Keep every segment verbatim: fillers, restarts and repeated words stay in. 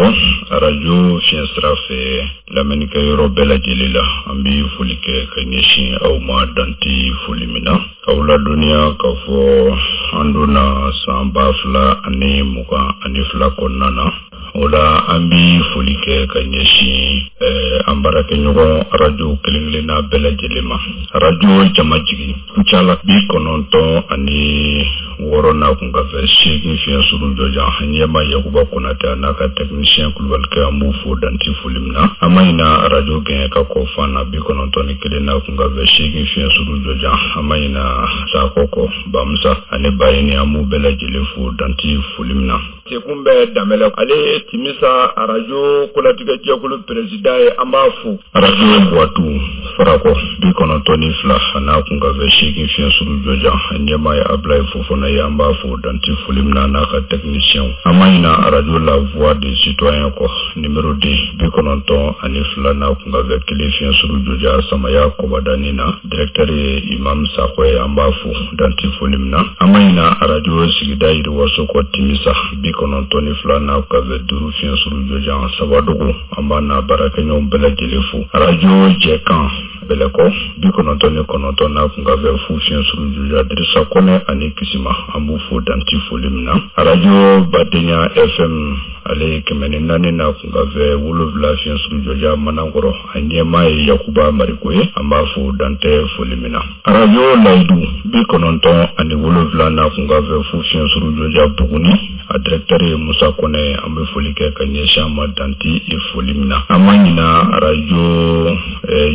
dɔn arajo fiɲɛ sira fɛ lamɛnnikɛyɔrɔ bɛɛ lajɛlen la. An bɛ foli kɛ ka ɲɛsin aw ma danti foli min na. K'aw ladɔnniya k'a fɔ an donna san ba fila ani mugan ani fila kɔnɔna na. O la an bɛ foli kɛ ka ɲɛsin an baarakɛɲɔgɔn arajo kelen-kelenna bɛɛ lajɛlen ma. Arajo Jamajigi Kucala bi kɔnɔntɔn ani wɔɔrɔ n'a kun ka fɛ seegin fiɲɛ suru jɔjan ɲɛma Yakuba Konatɛ a n'a ka technicien Kulubalikɛ an b'u fo danti foli min na. An ma ɲina arajo gɛn ka kɔ fan na bi kɔnɔntɔn ni kelen n'a kun ka fɛ seegin fiɲɛ suru jɔjan. An ma ɲina Sakɔ kɔ Bamusa ani Bayini an b'u bɛɛ lajɛlen fo danti foli min na. Sekun bɛ Danbɛlɛ ale ye Timisa arajo kolatigɛ jɛkulu président ye, an b'a fo. Arajo Buwatu Farakɔ bi kɔnɔntɔn ni fila a n'a kun ka fɛ seegin fiɲɛ suru jɔjan ɲɛmaa ye Abulayi Fofana ye, an b'a fo danti foli min na n'a ka technicien. An ma ɲina arajo La Voix des Citoyens kɔ numéro deux bi kɔnɔntɔn ani fila n'a kun ka fɛ kelen fiɲɛ suru jɔjan Samaya Kɔbadani na, directeur ye Imam Sakɔ ye, an b'a fo danti foli min na. An ma ɲina arajo sigida yiriwaso kɔ Timisa bi kɔnɔntɔn ni fila n'a kun ka fɛ duuru fiɲɛ suru jɔjan Sabadogo, an b'a n'a baarakɛɲɔgɔn bɛɛ lajɛlen fo. Arajo Jɛkan Bɛlɛkɔ bi kɔnɔntɔn ni kɔnɔntɔn n'a kun ka fɛ fu fiɲɛ suru jɔjan Dirisa Kɔnɛ ani Kisima, an b'u fo danti foli min na. Arajo Badenya F M ale ye kɛmɛ ni naani n'a kun ka fɛ wolonwula fiɲɛ suru jɔjan Manankɔrɔ, a ɲɛmaa ye Yakuba Mariko ye, an b'a fo dantɛ foli min na. Arajo Layidu bi kɔnɔntɔn ani wolonwula n'a kun ka fɛ fu fiɲɛ suru jɔjan Buguni, a directeur ye Musa Kɔnɛ, an bɛ foli kɛ ka ɲɛsin a ma danti foli min na. An ma ɲina arajo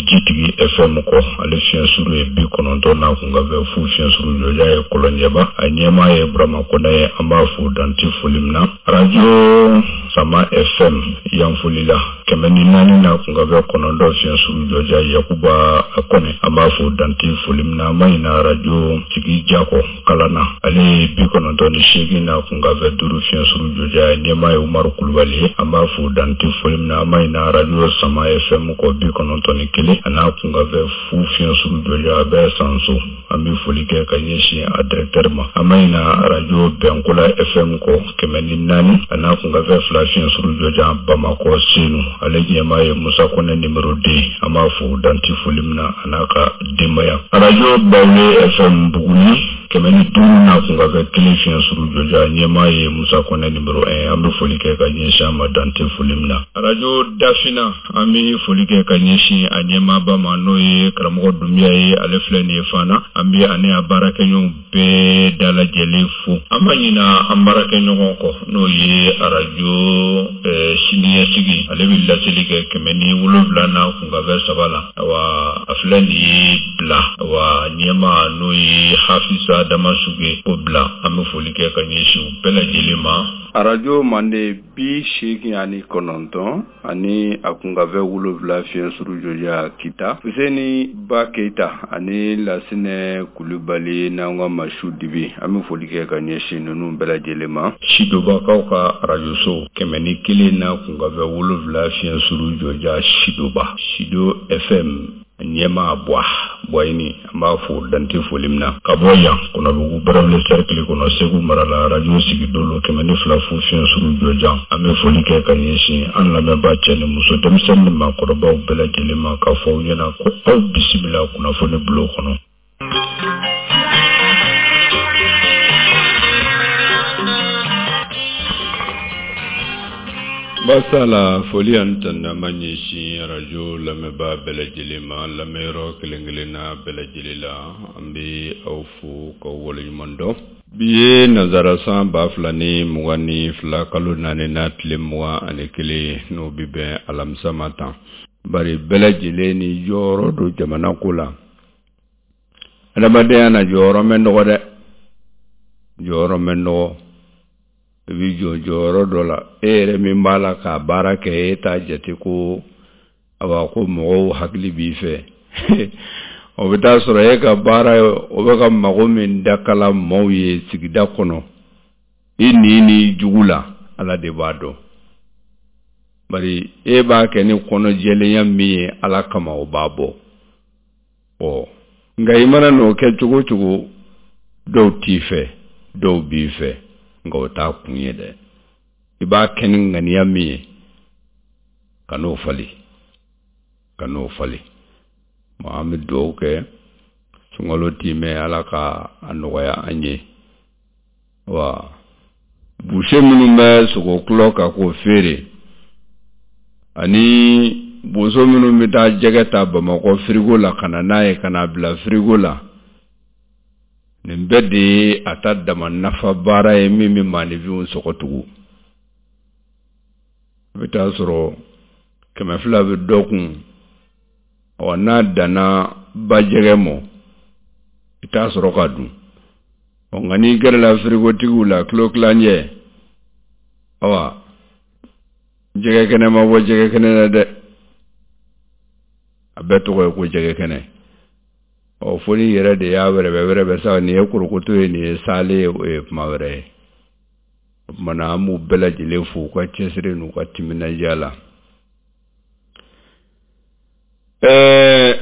Jitigi F M kɔ, ale fiɲɛ suru ye bi kɔnɔntɔn n'a kun ka fɛ fu fiɲɛ suru jɔjan ye Kɔlɔnjɛba, a ɲɛmaa ye Burama Kɔnɛ ye, an b'a fo danti foli min na. Arajo Sama F M Yanfolila kɛmɛ ni naani n'a kun ka fɛ kɔnɔntɔn fiɲɛ suru jɔjan Yakuba Kɔnɛ, an b'a fo danti foli min na. An ma ɲina arajo Sigi Jakɔ Kalana, ale ye bi kɔnɔntɔn ni seegin n'a kun ka fɛ duuru fiɲɛ suru jɔjan ɲɛmaa ye Umaru Kulubali ye, an b'a fo danti foli min na. An ma ɲina arajo Sama F M kɔ bi kɔnɔntɔn ni kelen a n'a kun ka fɛ fu fiɲɛ suru jɔjan a bɛ Sanso, an bɛ foli kɛ ka ɲɛsin a directeur ma. An ma ɲina arajo Bɛnkola F M kɔ kɛmɛ ni naani a n'a kun ka fɛ fila fiɲɛ suru jɔjan Bamakɔ Senu, ale ɲɛmaa ye Musa Kɔnɛ numéro deux, an b'a fo danti foli min na a n'a ka denbaya. Arajo Bawule F M Buguni kɛmɛ ni duuru n'a kun ka fɛ kelen fiɲɛ suru jɔjan ɲɛmaa ye Musa Kɔnɛ numéro un, an bɛ foli kɛ ka ɲɛsin a ma dante foli min na. Arajo Dafina an bɛ foli kɛ ka ɲɛsin a ɲɛmaaba ma n'o ye karamɔgɔ Dunbiya ye, ale filɛ nin ye fana, an bɛ ani a baarakɛɲɔgɔn bɛɛ dalajɛlen fo. An ma ɲina an baarakɛɲɔgɔn kɔ n'o ye arajo siniɲɛsigi, ale bɛ laseli kɛ kɛmɛ ni wolonwula n'a kun ka fɛ saba la, awa a filɛ nin ye bila, awa ɲɛmaa n'o ye Hafisa Damasuge o bila, an bɛ foli kɛ ka ɲɛsin u bɛɛ lajɛlen ma. Arajo Mande bi seegin ani kɔnɔntɔn ani a kun ka fɛ wolonwula fiɲɛ suru jɔjan Kita, Fuseni Ba Keyita ani Lasinɛ Kulubali n'an ka Masu Dibi, an bɛ foli kɛ ka ɲɛsin ninnu bɛɛ lajɛlen ma. Sidobakaw ka arajoso kɛmɛ ni kelen n'a kun ka fɛ wolonwula fiɲɛ suru jɔjan Sidoba, Sido F M ɲɛmaa Buwa Buwayini, an b'a fo dante foli min na. Ka bɔ yan Kɔnɔbugu Barawuli cercle kɔnɔ Segu mara la, arajo Sigidolo kɛmɛ ni fila fu fiɲɛ suru jɔjan, an bɛ foli kɛ ka ɲɛsin an lamɛnbaa cɛ ni muso denmisɛnnin ni maakɔrɔbaw bɛɛ lajɛlen ma k'a fɔ aw ɲɛna ko aw bisimila kunnafoni bulon kɔnɔ. Basala foli ani tanuni an b'a ɲɛsin arajo lamɛnbaa bɛɛ lajɛlen ma, lamɛnyɔrɔ kelen kelenna bɛɛ lajɛlen la, an bɛ aw fo k'aw waleɲuman dɔn. Bi ye nanzara san ba fila ni mugan ni fila kalo naani na tile mugan ani kelen n'o bɛ bɛn alamisa ma tan. Bari bɛɛ lajɛlen ni jɔyɔrɔ don jamana ko la. Adamadenya na jɔyɔrɔ mɛ nɔgɔ dɛ, jɔyɔrɔ mɛ nɔgɔ. I b'i jɔ jɔyɔrɔ dɔ la, e yɛrɛ min b'a la k'a baara kɛ, e t'a jate ko awa ko mɔgɔw hakili b'i fɛ. O bɛ taa sɔrɔ e ka baara o bɛ ka mago min dakala maaw ye sigida kɔnɔ, i ni ni jugu la, Ala de b'a dɔn. Bari e b'a kɛ ni kɔnɔjɛlenya min ye Ala kama, o b'a bɔ. Ɔ nka i mana n'o kɛ cogo o cogo, dɔw t'i fɛ, dɔw b'i fɛ, nka o t'a kun ye dɛ. I b'a kɛ ni ŋaniya min ye, Ka n'o falen, ka n'o falen. An bɛ dugawu kɛ sunkalo timɛ, Ala ka a nɔgɔya an ye. Wa boucher minnu bɛ sogo kulɔ kan k'o feere, ani boso minnu bɛ taa jɛgɛ ta Bamakɔ firigo la ka na n'a ye ka n'a bila firigo la, nin bɛɛ de ye a ta dama nafa baara ye min bɛ maaninfinw sɔgɔ tugun. I bɛ taa sɔrɔ kɛmɛ fila bɛ dɔ kun, ɔ n'a danna bajɛgɛ mɔ, i t'a sɔrɔ ka dun. Ɔ nka n'i gɛrɛla firigotigiw la kilo kilancɛ, awa jɛgɛ kɛnɛ ma bɔ jɛgɛ kɛnɛ na dɛ, a bɛɛ tɔgɔ ye ko jɛgɛ kɛnɛ. Ɔ fo n'i yɛrɛ de y'a wɛrɛbɛ wɛrɛbɛ sa, nin ye korokoto ye, nin ye sale ye, o ye kuma wɛrɛ ye. O tuma na an b'u bɛɛ lajɛlen fo u ka cɛsiri n'u ka timinandiya la. Ɛɛ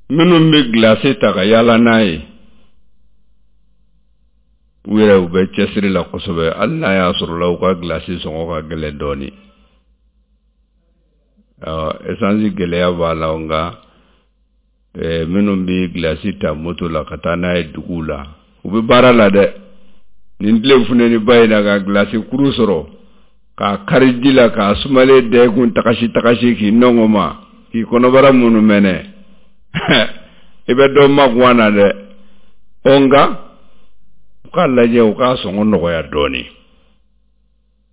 minnu bɛ gilasi ta ka yaala n'a ye, u yɛrɛ u bɛ cɛsiri la kosɛbɛ, hali n'a y'a sɔrɔ la u ka gilasi sɔngɔ ka gɛlɛn dɔɔnin. Esansi gɛlɛya b'a la, nka minnu bɛ gilasi ta moto la ka taa n'a ye duguw la, u bɛ baara la dɛ. Nin tile funteniba in na ka gilasi kuru sɔrɔ k'a kari ji la k'a sumalen da i kun tagasi tagasi k'i nɔngɔn ma k'i kɔnɔbara minnu mɛnɛ, i bɛ dɔ makuwa na dɛ. Ɔ nka u k'a lajɛ, u k'a sɔngɔ nɔgɔya dɔɔnin,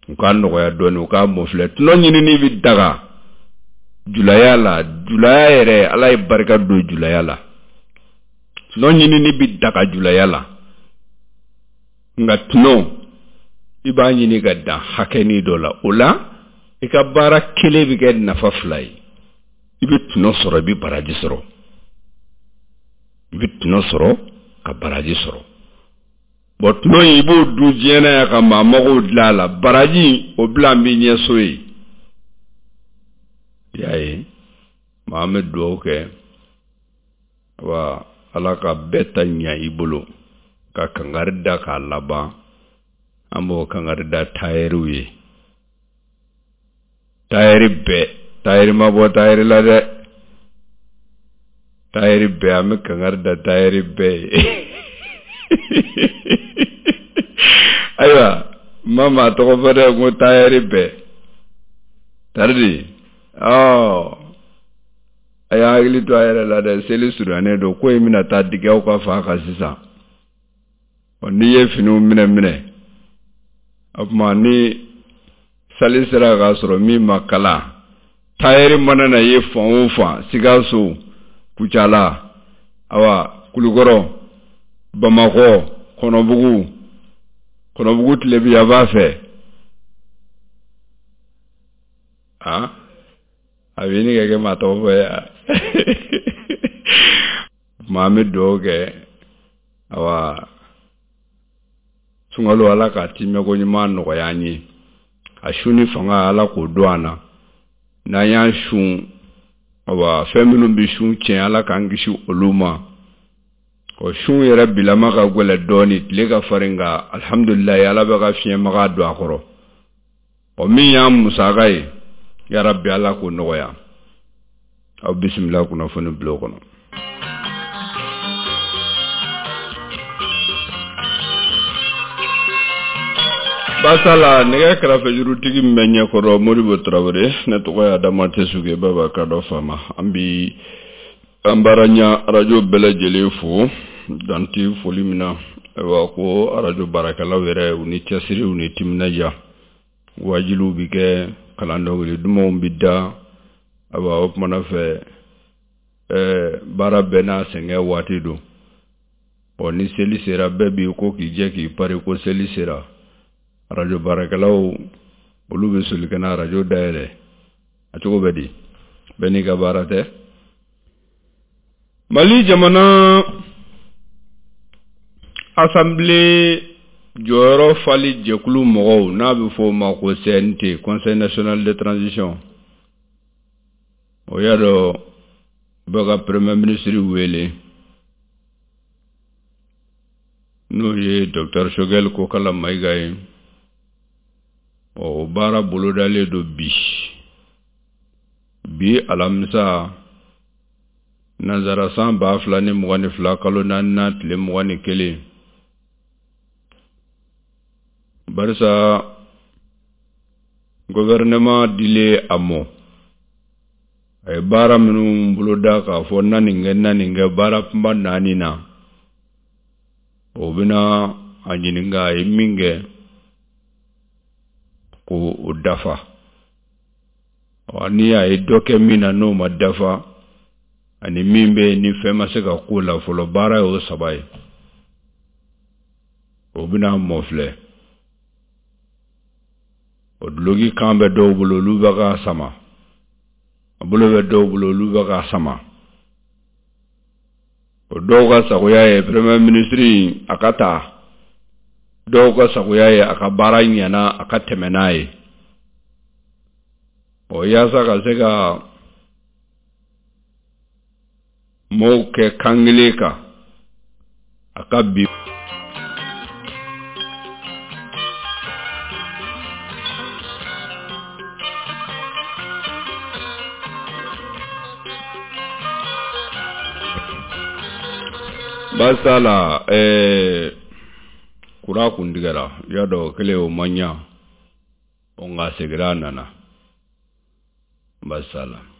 u k'a nɔgɔya dɔɔnin, u k'a mɔfilɛ. Tɔnɔ ɲinini bɛ daga julaya la, julaya yɛrɛ Ala ye barika don julaya la. Tɔnɔ ɲinini bɛ daga julaya la, nka tɔnɔ i b'a ɲini ka dan hakɛnin dɔ la. O la i ka baara kelen bɛ kɛ nafa fila ye, i bɛ tɔnɔ sɔrɔ, i bɛ baraji sɔrɔ, i bɛ tɔnɔ sɔrɔ ka baraji sɔrɔ. Bɔn tɔnɔ in i b'o dun diɲɛ na yan ka maa magow dilan a la, baraji o bila n b'i ɲɛ so ye. I y'a ye, maa an bɛ dugawu kɛ wa Ala ka bɛɛ ta ɲa i bolo, ka kangari da k'a laban. An b'o kangari da tayɛriw ye, tayɛri bɛɛ, tayɛri ma bɔ tayɛri la dɛ, tayɛri bɛɛ, an bɛ kangari da tayɛri bɛɛ ye. Ayiwa n ma maa tɔgɔ fɔ dɛ, ko tayɛri bɛɛ taridi. Ɔ a y'a hakili to a yɛrɛ la dɛ, seli surunyalen don, ko in bɛna taa digi aw ka fa kan sisan. Ɔ n'i ye finiw minɛ minɛ, o tuma ni sali sera k'a sɔrɔ min ma kala, tayɛri mana na ye fan o fan, Sikaso, Kucala, awa Kulukɔrɔ, Bamakɔ, Kɔnɔbugu, Kɔnɔbugu tilebinyanfan fɛ, ah a bɛ ɲini ka kɛ maa tɔgɔ fɔ ye. Tuma an bɛ dugawu kɛ, awa sunkalo Ala k'a timɛko ɲuman nɔgɔya an ye, a su ni fanga Ala k'o don an na. N'an y'an sun, awa fɛn minnu bɛ sun tiɲɛ Ala k'an kisi olu ma. Ɔ sun yɛrɛ bilama ka gɛlɛn dɔɔnin, tile ka farin, nka alihamudulilayi Ala bɛ ka fiɲɛmaga don a kɔrɔ. Ɔ min y'an musaka ye, yarabi Ala k'o nɔgɔya. Aw bisimila kunnafoni bulon kɔnɔ. Basala nɛgɛ kɛrɛfɛjurutigi min bɛ ɲɛkɔrɔ Modibo Tarawele, ne tɔgɔ ye Adama Tesuge Baba Kadɔ Fama. An bi an baara ɲa arajo bɛɛ lajɛlen fo danti foli min na. Ayiwa ko arajo baarakɛlaw yɛrɛ u ni cɛsiri u ni timinandiya, waajiliw bi kɛ, kalan dɔnkili dumanw bi da. Ayiwa o kumana fɛ ɛɛ baara bɛɛ n'a sɛgɛn waati don. Ɔ ni seli sera bɛɛ b'i ko k'i jɛ k'i pari ko seli sera. Arajo baarakɛlaw olu bɛ soli ka na arajo dayɛlɛ, a cogo bɛ di, bɛɛ n'i ka baara tɛ. Mali jamana assemblée jɔyɔrɔ fali jɛkulu mɔgɔw n'a bɛ fɔ o ma ko C N T, Conseil national de transition, o y'a dɔn u bɛ ka premier ministre wele, n'o ye docteur Choguel Kokalla Maïga ye. Ɔ o baara bolodalen don bi bi alamisa nanzara san ba fila ni mugan ni fila kalo naaninan tile mugan ni kelen barisa gouvernement dilen a mɔ a ye baara minnu boloda k'a fɔ na nin kɛ na nin kɛ baara kunba naani na o bɛna a ɲininka a ye min kɛ k'o dafa ni a ye dɔ kɛ min na n'o ma dafa ani min bɛ yen ni fɛn ma se ka k'o la fɔlɔ baara y'o saba ye o bɛna mɔ filɛ o duloki kan bɛ dɔw bolo olu bɛ k'a sama a bolo bɛ dɔw bolo olu bɛ k'a sama o dɔw ka sagoya ye premier ministre a ka ta dɔw ka sagoya ye a ka baara ɲɛna a ka tɛmɛ n'a ye o yaasa ka se ka mɔɔw kɛ kan kelen kan a ka bi baasi la ɛɛ kura kun tigɛra i y'a dɔn o kɛlen o ma ɲa o nka seginna a nana baasi la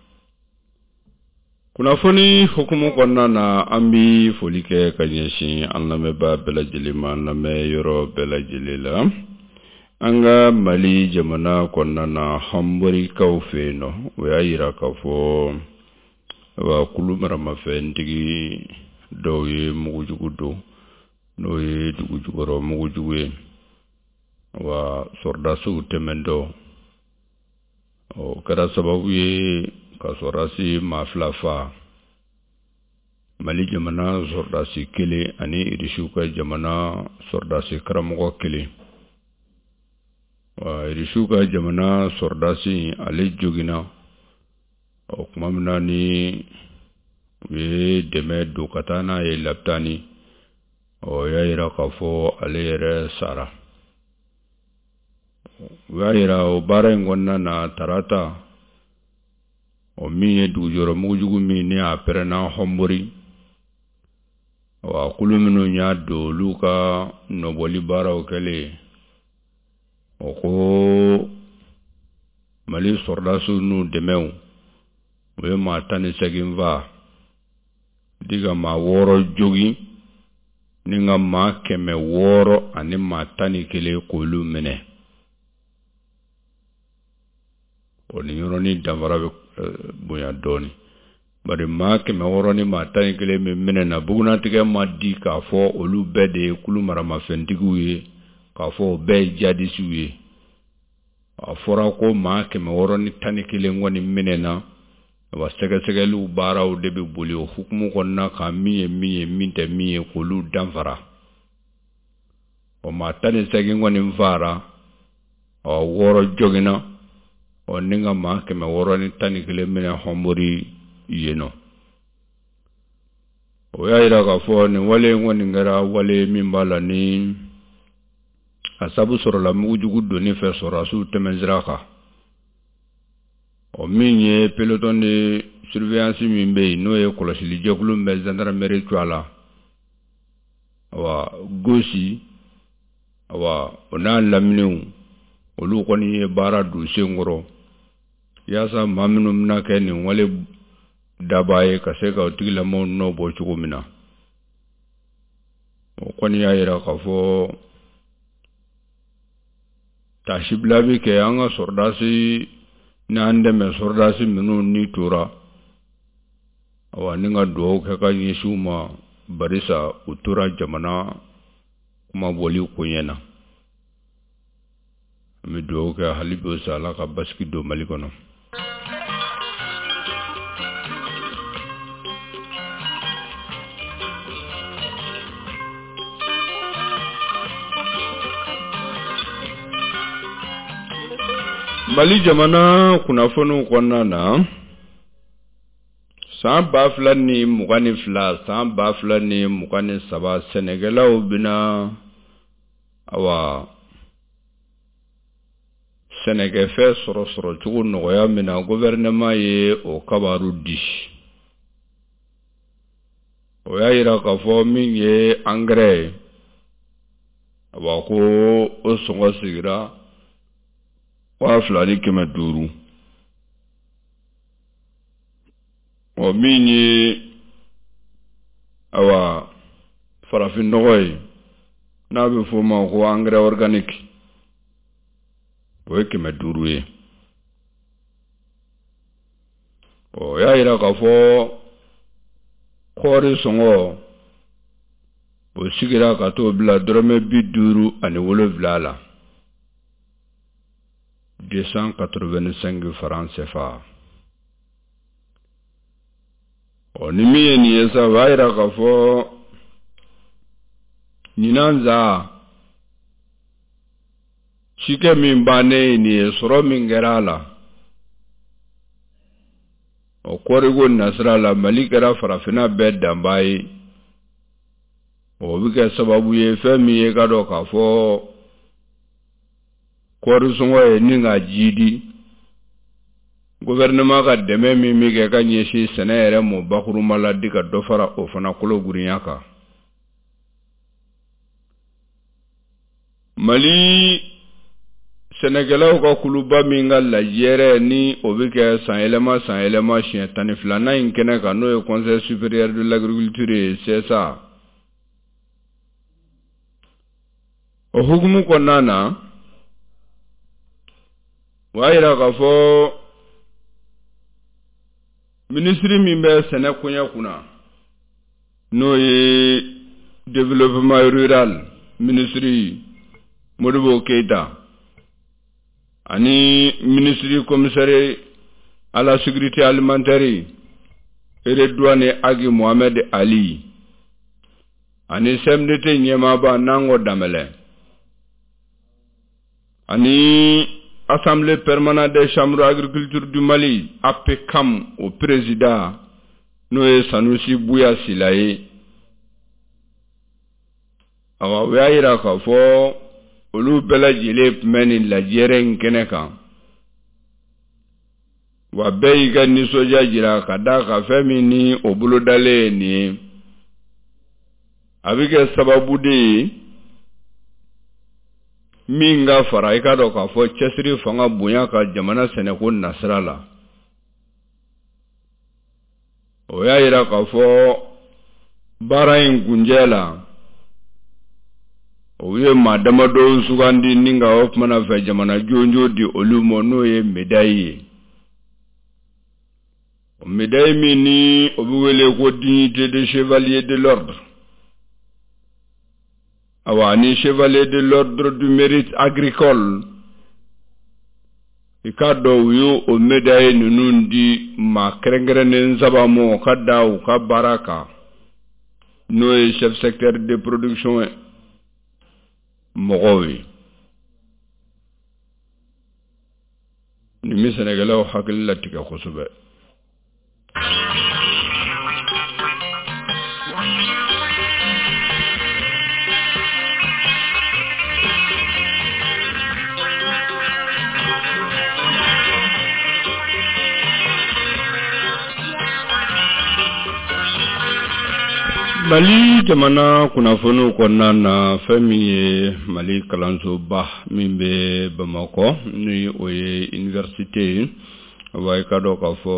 kunnafoni hukumu kɔnɔna na an bi foli kɛ ka ɲɛsin an lamɛnbaa bɛɛ lajɛlen ma an lamɛn yɔrɔ bɛɛ lajɛlen la an ka Mali jamana kɔnɔna na Hɔnborikaw fɛ yen nɔ o y'a yira k'a fɔ wa kulu maramafɛntigi dɔw ye mugujugu don n'o ye dugu jukɔrɔ mugujugu ye wa sɔrɔdasiw tɛmɛntɔ o kɛra sababu ye ka sɔrɔdasi maa fila fa Mali jamana sɔrɔdasi kelen ani Irisiw ka jamana sɔrɔdasi karamɔgɔ kelen wa Irisiw ka jamana sɔrɔdasi ale joginna o tuma min na ni u ye dɛmɛ don ka taa n'a ye lapitani o y'a yira k'a fɔ ale yɛrɛ sara u y'a yira o baara in kɔnɔna na tarata o min ye dugujɔrɔ mugujugu min ni a pɛrɛnna Hɔnbori wa kulu minnu y'a don olu ka nɔbɔli baaraw kɛlen o ko Mali sɔrɔdasiw n'u dɛmɛw u ye maa tan ni segin fa di ka maa wɔɔrɔ jogin ni ka maa kɛmɛ wɔɔrɔ ani maa tan ni kelen k'olu minɛ o ni yɔrɔnin danfara bɛ bonya dɔɔnin bari maa kɛmɛ wɔɔrɔ ni maa tan ni kelen min minɛna bugunatigɛ ma di k'a fɔ olu bɛɛ de ye kulu maramafɛntigiw ye k'a fɔ o bɛɛ ye jadisiw ye a fɔra ko maa kɛmɛ wɔɔrɔ ni tan ni kelen kɔni minɛna wa sɛgɛsɛgɛliw baaraw de bɛ boli o hukumu kɔnɔna kan min ye min ye min tɛ min ye k'olu danfara o maa tan ni segin kɔni fara ɔ wɔɔrɔ joginna ɔ ni ka maa kɛmɛ wɔɔrɔ ni tan ni kelen minɛ Hɔnbori yen nɔ o y'a yira k'a fɔ nin wale in kɔni kɛra wale min b'a la ni a sabu sɔrɔla mugujugu donni fɛ sɔrɔdasiw tɛmɛnsira kan o min ye peloton de surveillance min bɛ yen n'o ye kɔlɔsili jɛkulu min bɛ gendarmerie cogoya la awa gosi awa o n'a laminiw olu kɔni ye baara don sen kɔrɔ yaasa maa minnu bɛna kɛ nin wale daba ye ka se ka o tigilamɔgɔw nɔ bɔ cogo min na o kɔni y'a yira k'a fɔ taasibila bɛ kɛ an ka sɔrɔdasi n'an dɛmɛ sɔrɔdasi minnu ni tora awa ni ka dugawu kɛ ka ɲɛsin u ma barisa u tora jamana kumabɔli koɲɛ na an bɛ dugawu kɛ hali bi sa Ala ka basigi don Mali kɔnɔ. Mali jamana kunnafoniw kɔnɔna na san ba fila ni mugan ni fila san ba fila ni mugan ni saba sɛnɛkɛlaw bɛna awa Sɛnɛkɛfɛn sɔrɔ sɔrɔcogo nɔgɔya min na, gouvernement ye o kabaru di. O y'a yira k'a fɔ min ye angɛrɛ ye, awa ko o sɔngɔ sigira waa fila ni kɛmɛ duuru. Ɔ min ye awa farafinnɔgɔ ye, n'a bɛ f'o ma ko engrais organique, o ye kɛmɛ duuru ye. O y'a yira k'a fɔ kɔɔri sɔngɔ o sigira ka t'o bila dɔrɔmɛ bi duuru ani wolonwula la, deux cent quatre-vingt-cinq francs C F A. Ɔ ni min ye nin ye sa, o b'a yira k'a fɔ ɲinan za cikɛ min bannen ye nin ye, sɔrɔ min kɛra a la, o kɔɔriko nasira la, Mali kɛra farafinna bɛɛ danbaa ye. O bɛ kɛ sababu ye fɛn min ye ka dɔn k'a fɔ kɔɔri sɔngɔ ye ni ka jiidi, gouvernement ka dɛmɛ min bɛ kɛ ka ɲɛsin sɛnɛ yɛrɛ mɔ bakurunba la di ka dɔ fara o fana kolo girinya kan. Mali sɛnɛkɛlaw ka kuluba min ka lajɛrɛ ni o bɛ kɛ sanyɛlɛma sanyɛlɛma siɲɛ tan ni filanan in kɛnɛ kan, n'o ye Conseil supérieur de l'agriculture ye, C S A. O hukumu kɔnɔna na, o y'a yira k'a fɔ minisiri min bɛ sɛnɛ koɲɛ kunna, n'o ye développement rural minisiri Modibo Keïta, ani minisiri commissaire à la sécurité alimentaire Redouane Agi Mohamed Ali, ani C M D T ɲɛmaaba Nango Danbɛlɛ, ani Assemblée permanente des chambres d'agriculture du Mali A P C A M o président, n'o ye Sanusi Buya Sila ye. Awa o y'a yira k'a fɔ olu bɛɛ lajɛlen tun bɛ nin lajɛrɛ in kɛnɛ kan, wa bɛɛ y'i ka nisɔndiya jira ka d'a kan fɛn min ni o bolodalen ye nin ye, a bɛ kɛ sababu de ye min ka fara i ka dɔn k'a fɔ cɛsiri fanga bonya ka jamana sɛnɛko nasira la. O y'a yira k'a fɔ baara in kunjɛ la, o ye maa damadɔw sugandi ni ka o kumana fɛ jamana jɔnjɔn di olu ma, n'o ye médaille ye. O médaille min ni o bɛ wele ko dignité de chevalier de l'ordre, awa ni chevalier de l'ordre du mérite agricole, i k'a dɔn u y'o o médaille ninnu di maa kɛrɛnkɛrɛnnen saba ma ka da u ka baara kan, n'o ye chef secteur de production ye mɔgɔw ye. Nin bɛ sɛnɛkɛlaw hakili latigɛ kosɛbɛ. Mali jamana kunnafoniw kɔnɔna na, fɛn min ye Mali kalansoba min bɛ Bamakɔ, ni o ye université ye, wa i ka dɔn k'a fɔ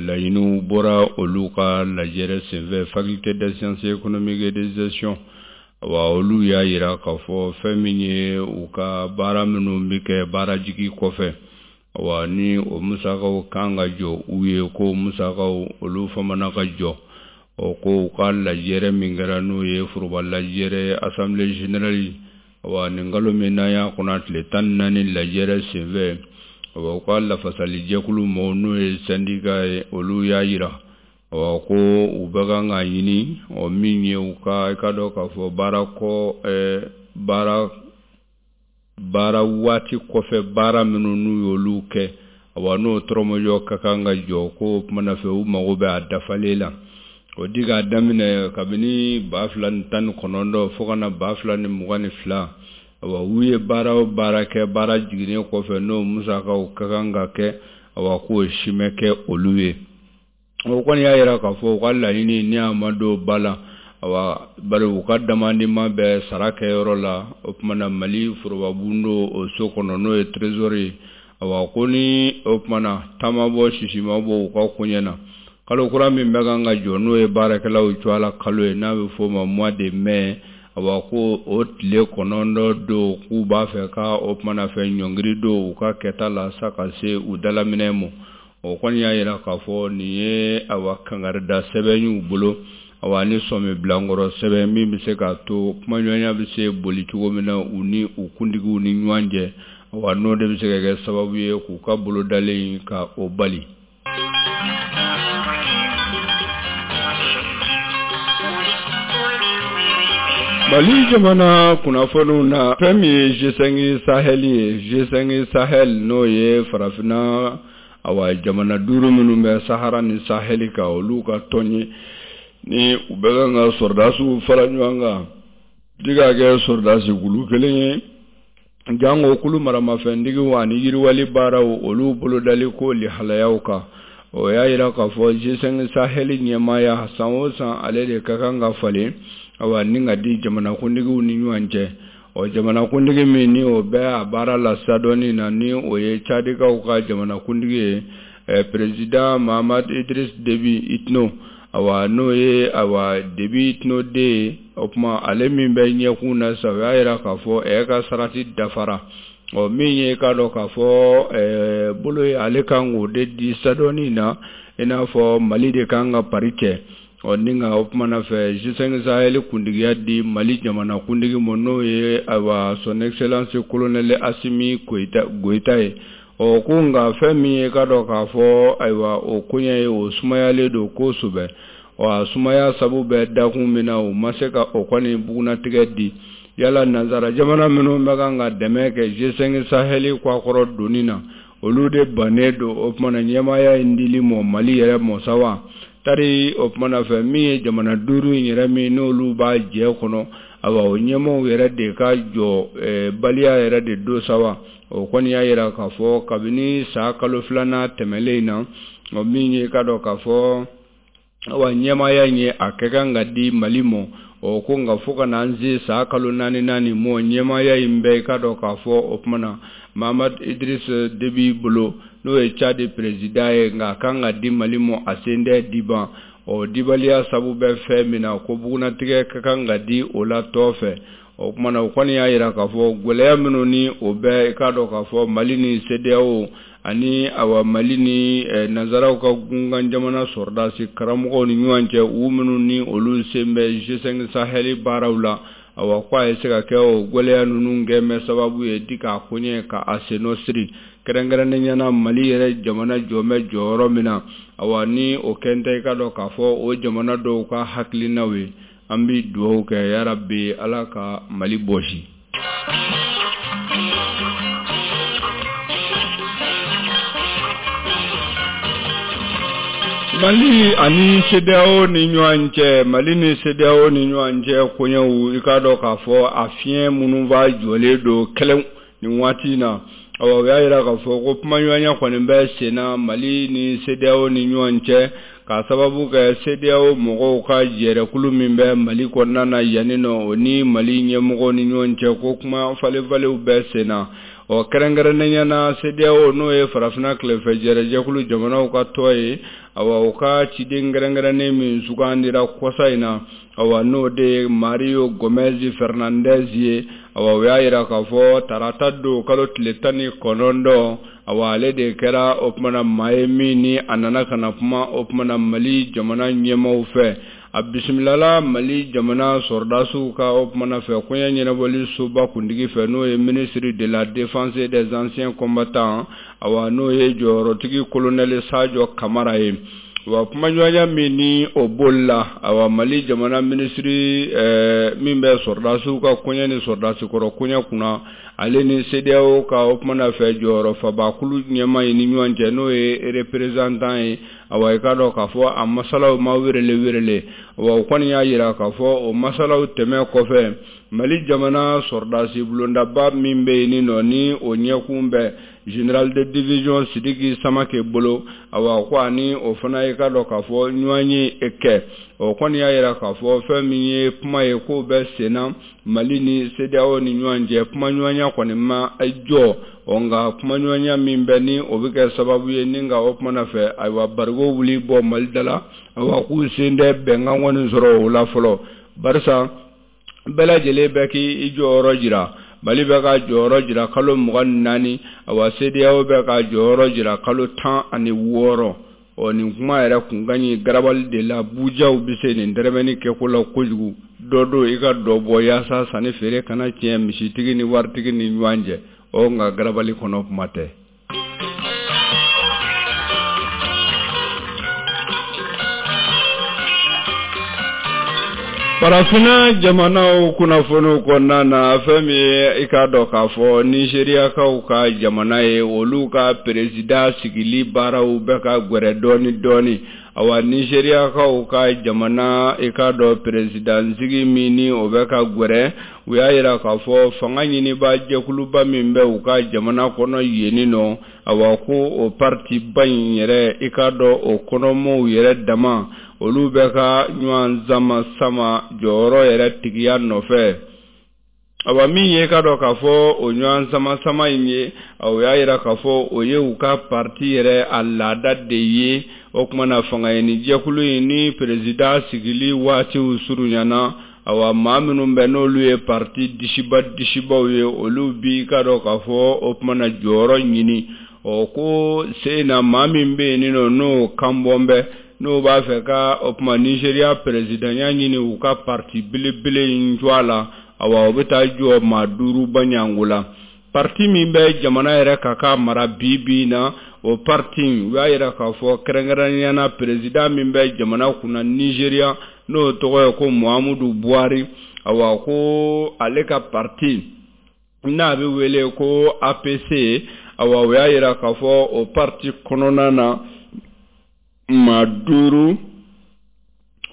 laɲiniw bɔra olu ka lajɛrɛ senfɛ faculté des sciences économiques et de gestion. Wa olu y'a yira k'a fɔ fɛn min ye u ka baara minnu bɛ kɛ baara jigi kɔfɛ, wa ni o musakaw kan ka jɔ u ye, ko musakaw olu famana ka jɔ. O ko u ka lajɛrɛ min kɛra n'o ye foroba lajɛrɛ assemblée générale, wa nin kalo min n'an y'a kɔnɔ tile tan ni naani lajɛrɛ senfɛ, wa u ka lafasalijɛkulu mɔgɔw n'o ye syndicat ye, olu y'a yira wa ko u bɛ kan ka ɲini o min ye u ka i ka dɔn k'a fɔ baara kɔ baara baara waati kɔfɛ baara minnu n'u y'olu kɛ, wa n'o tɔrɔmɔjɔ ka kan ka jɔ, ko kumana fɛ u mago bɛ a dafalen la. O di k'a daminɛ kabini ba fila ni tan ni kɔnɔntɔn fo ka na ba fila ni mugan ni fila, Awa u ye baara o baara kɛ baara jiginnen kɔfɛ n'o musakaw ka kan ka kɛ, awa k'o si ma kɛ olu ye. O kɔni y'a yira k'a fɔ u ka laɲini ni a ma don ba la, awa bari u ka damandima bɛ sara kɛyɔrɔ la, o tuma na Mali forobabundo o so kɔnɔ n'o ye trésor ye. Awa ko ni o tuma na taama bɔ sisi ma bɔ u ka koɲɛ na, kalo kura min bɛ kan ka jɔ n'o ye baarakɛlaw cogoya la kalo ye n'a bɛ f'o ma mois de mai, awa ko o tile kɔnɔntɔn don k'u b'a fɛ ka o tuma na fɛ ɲɔngiri don u ka kɛta la sa ka se u dalaminɛ ma. O kɔni y'a yira k'a fɔ nin ye awa kangarida sɛbɛn y'u bolo, awa ni sɔmi bilankɔrɔ sɛbɛn min bɛ se k'a to kumaɲɔgɔnya bɛ se boli cogo min na u ni u kuntigiw ni ɲɔgɔn cɛ, awa n'o de bɛ se ka kɛ sababu ye k'u ka bolodalen ka o bali. Mali jamana kunnafoniw na, fɛn min ye G cinq Sahel ye, G cinq Sahel n'o ye farafinna awa jamana duuru minnu bɛ Sahara ni Sahel kan, olu ka tɔn ye ni u bɛ kan ka sɔrɔdasiw fara ɲɔgɔn kan di ka kɛ sɔrɔdasi kulu kelen ye, jango kulu maramafɛntigiw ani yiriwali baaraw olu bolodali ko lihalayaw kan. O y'a yira k'a fɔ G cinq Sahel ɲɛmaaya san o san ale de ka kan ka falen, awa ni ka di jamanakuntigiw ni ɲɔgɔn cɛ. Ɔ jamanakuntigi min ni o bɛ a baara la sadɔnni na ni o ye Cadikaw ka jamanakuntigi ye, eh, président Mahamat Idriss Déby Itno, awa n'o ye awa Déby Itno den ye, o tuma ale min bɛ ɲɛkun na sa, o y'a yira k'a fɔ ɛ ka sarati dafara. Ɔ min ye k'a dɔn k'a fɔ eh, bolo ye ale kan k'o de di sadɔnni na, i n'a fɔ Mali de kan ka pari kɛ. Ɔ ni nka o tuma na fɛ G cinq Sahel kuntigiya di Mali jamana kuntigi ma n'o ye awa son excellence colonel Assimi Goïta Goïta ye. Ɔ ko nka fɛn min ye k'a dɔn k'a fɔ ayiwa o koɲɛ ye o sumayalen don kosɛbɛ. Ɔ a sumaya sabu bɛ dakun min na u ma se ka o kɔni bugunnatigɛ di. Yala nanzara jamana minnu bɛ kan ka dɛmɛ kɛ G cinq Sahel kɔkɔrɔ donni na, olu de bannen don o tuma na ɲɛmaaya in dili mɔ Mali yɛrɛ mɔ sa wa? Tari o tuma na fɛ min ye jamana duuru in yɛrɛ min n'olu b'a jɛ kɔnɔ, awa o ɲɛmaaw yɛrɛ de ka jɔ baliya yɛrɛ de don sa wa? O kɔni y'a yira k'a fɔ kabini san kalo filanan tɛmɛlen in na, o min ye k'a dɔn k'a fɔ awa ɲɛmaaya in ye a kɛ kan ka di Mali ma. O ko nka fo ka n'an se san kalo naani naani mɔ ɲɛmaaya in bɛɛ k'a dɔn k'a fɔ o tuma na Mahamat Idriss Déby bolo n'o ye Tchad président ye, nka a kan ka di Mali ma a sen tɛ diban. Ɔ dibaliya sabu bɛ fɛn min na ko bugunnatigɛ ka kan ka di o la tɔ fɛ. O tuma na o kɔni y'a yira k'a fɔ gɛlɛya minnu ni o bɛ k'a dɔn k'a fɔ Mali ni CEDEAO ani awa Mali ni nanzaraw ka gunkan jamana sɔrɔdasi karamɔgɔw ni ɲɔgɔn cɛ, u minnu ni olu sen bɛ G cinq Sahel baaraw la, awa ko a ye se ka kɛ o gɛlɛya ninnu kɛ mɛ sababu ye di k'a koɲɛ ka a sennɔ siri kɛrɛnkɛrɛnnenya na Mali yɛrɛ jamana jɔ bɛ jɔyɔrɔ min na. Awa ni o kɛn tɛ i ka dɔn k'a fɔ o jamana dɔw ka hakilinaw ye. An bɛ dugawu kɛ yarabi Ala ka Mali bɔsi. Mali ani CEDEAO ni ɲɔgɔn cɛ, Mali ni CEDEAO ni ɲɔgɔn cɛ koɲɛw i k'a dɔn k'a fɔ a fiɲɛ minnu b'a jɔlen don kɛlɛw nin waati in na. Awa o y'a yira k'a fɔ ko kumaɲɔgɔnya kɔni bɛ sen na Mali ni CEDEAO ni ɲɔgɔn cɛ, k'a sababu kɛ CEDEAO mɔgɔw ka jɛrɛkulu min bɛ Mali kɔnɔna na yanni nɔ, o ni Mali ɲɛmɔgɔw ni ɲɔgɔn cɛ ko kuma falenfalenw bɛ sen na. Ɔ kɛrɛnkɛrɛnnenya na CEDEAO n'o ye farafinna tilefɛ jɛrɛjɛkulu jamanaw ka tɔn ye, awa o ka ciden kɛrɛnkɛrɛnnen min sugandira kɔsa in na, awa n'o de ye Mario Gomez Fernandez ye, awa o y'a yira k'a fɔ tarata don kalo tile tan ni kɔnɔntɔn, awa ale de kɛra o tuma na maa ye min ni a nana ka na kuma o tuma na Mali jamana ɲɛmaaw fɛ. A bisimilala Mali jamana sɔrɔdasiw ka o tuma na fɛ koɲɛ ɲɛnabɔli soba kuntigi fɛ n'o ye ministre de la défense et des anciens combattants, awa n'o ye jɔyɔrɔtigi colonel Sadio Kamara ye. Wa kumaɲɔgɔnya min ni o bolila, awa Mali jamana minisiri ɛɛ min bɛ sɔrɔdasiw ka koɲɛ ni sɔrɔdasi kɔrɔ koɲɛ kunna, ale ni CEDEAO ka o kumana fɛ jɔyɔrɔ fabakulu ɲɛmaa ye ni ɲɔgɔn cɛ, n'o ye représentant ye. Awa i k'a dɔn k'a fɔ a masalaw ma werele werele. Wa o kɔni y'a jira k'a fɔ o masalaw tɛmɛ kɔfɛ, Mali jamana sɔrɔdasi bulondaba min bɛ yen nɔ, ni o ɲɛkun bɛ général de division Sidiki Samake bolo, awa ko ani o fana ye k'a dɔn k'a fɔ ɲɔgɔn ye kɛ. O kɔni y'a jira k'a fɔ fɛn min ye kuma ye k'o bɛ sen na Mali ni CEDEAO ni ɲɔgɔn cɛ, kumaɲɔgɔnya kɔni ma jɔ. Ɔ nka kumaɲɔgɔnya min bɛ ni o bɛ kɛ sababu ye ni nka o kumana fɛ, ayiwa barigo wuli bɔ Mali da la, awa k'u sen tɛ bɛnkan kɔni sɔrɔ o la fɔlɔ, barisa bɛɛ lajɛlen bɛ k'i jɔyɔrɔ jira. Mali bɛ ka jɔyɔrɔ jira kalo mugan ni naani, awa CEDEAO bɛ ka jɔyɔrɔ jira kalo tan ani wɔɔrɔ. Ɔ nin kuma yɛrɛ kun ka ɲi garabali de la, bujaw bɛ se nin dɛrɛmɛni kɛko la kojugu. Dɔ don i ka dɔ bɔ yaasa sanni feere kana tiɲɛ misitigi ni waritigi ni ɲɔgɔn cɛ. Ɔ nka garabali kɔnɔ kuma tɛ. Farafinna jamanaw kunnafoniw kɔnɔna na, fɛn min ye i k'a dɔn k'a fɔ Nizeriyakaw ka jamana ye, olu ka perezida sigili baaraw bɛ ka gwɛrɛ dɔɔni dɔɔni. Awa Nizeriyakaw ka jamana i k'a dɔn perezidansigi min ni o bɛ ka gwɛrɛ, u y'a jira k'a fɔ fanga ɲiniba jɛkuluba min bɛ u ka jamana kɔnɔ yen nɔ, awa ko o parti ba in yɛrɛ i k'a dɔn o kɔnɔmɔw yɛrɛ dama, olu bɛ ka ɲɔgɔn sama sama jɔyɔrɔ yɛrɛ tigiya nɔfɛ. Awa min ye k'a dɔn k'a fɔ o ɲɔgɔn sama sama in ye, o y'a jira k'a fɔ o ye u ka parti yɛrɛ a laada de ye. O tuma na fanga ɲini jɛkulu in ni perezida sigili waatiw surunyana, awa maa minnu bɛ n'olu ye parti disiba disibaw ye, olu bi k'a dɔn k'a fɔ o tuma na jɔyɔrɔ ɲini. Ɔ ko sen na maa min bɛ yen nɔ n'o kanbɔn bɛ, n'o b'a fɛ ka o tuma Nizeriya perezidanya ɲini u ka parti belebele in jɔ a la, awa o bɛ taa jɔ maa duuru baɲango la. Parti min bɛ jamana yɛrɛ ka ka mara bi bi in na, o parti u y'a jira k'a fɔ kɛrɛnkɛrɛnnenya na perezida min bɛ jamana kunna Nizeriya, n'o tɔgɔ ye ko Muhammadu Buhari, awa ko ale ka parti n'a bɛ wele ko A P C, awa o y'a jira k'a fɔ o parti kɔnɔna na maa duuru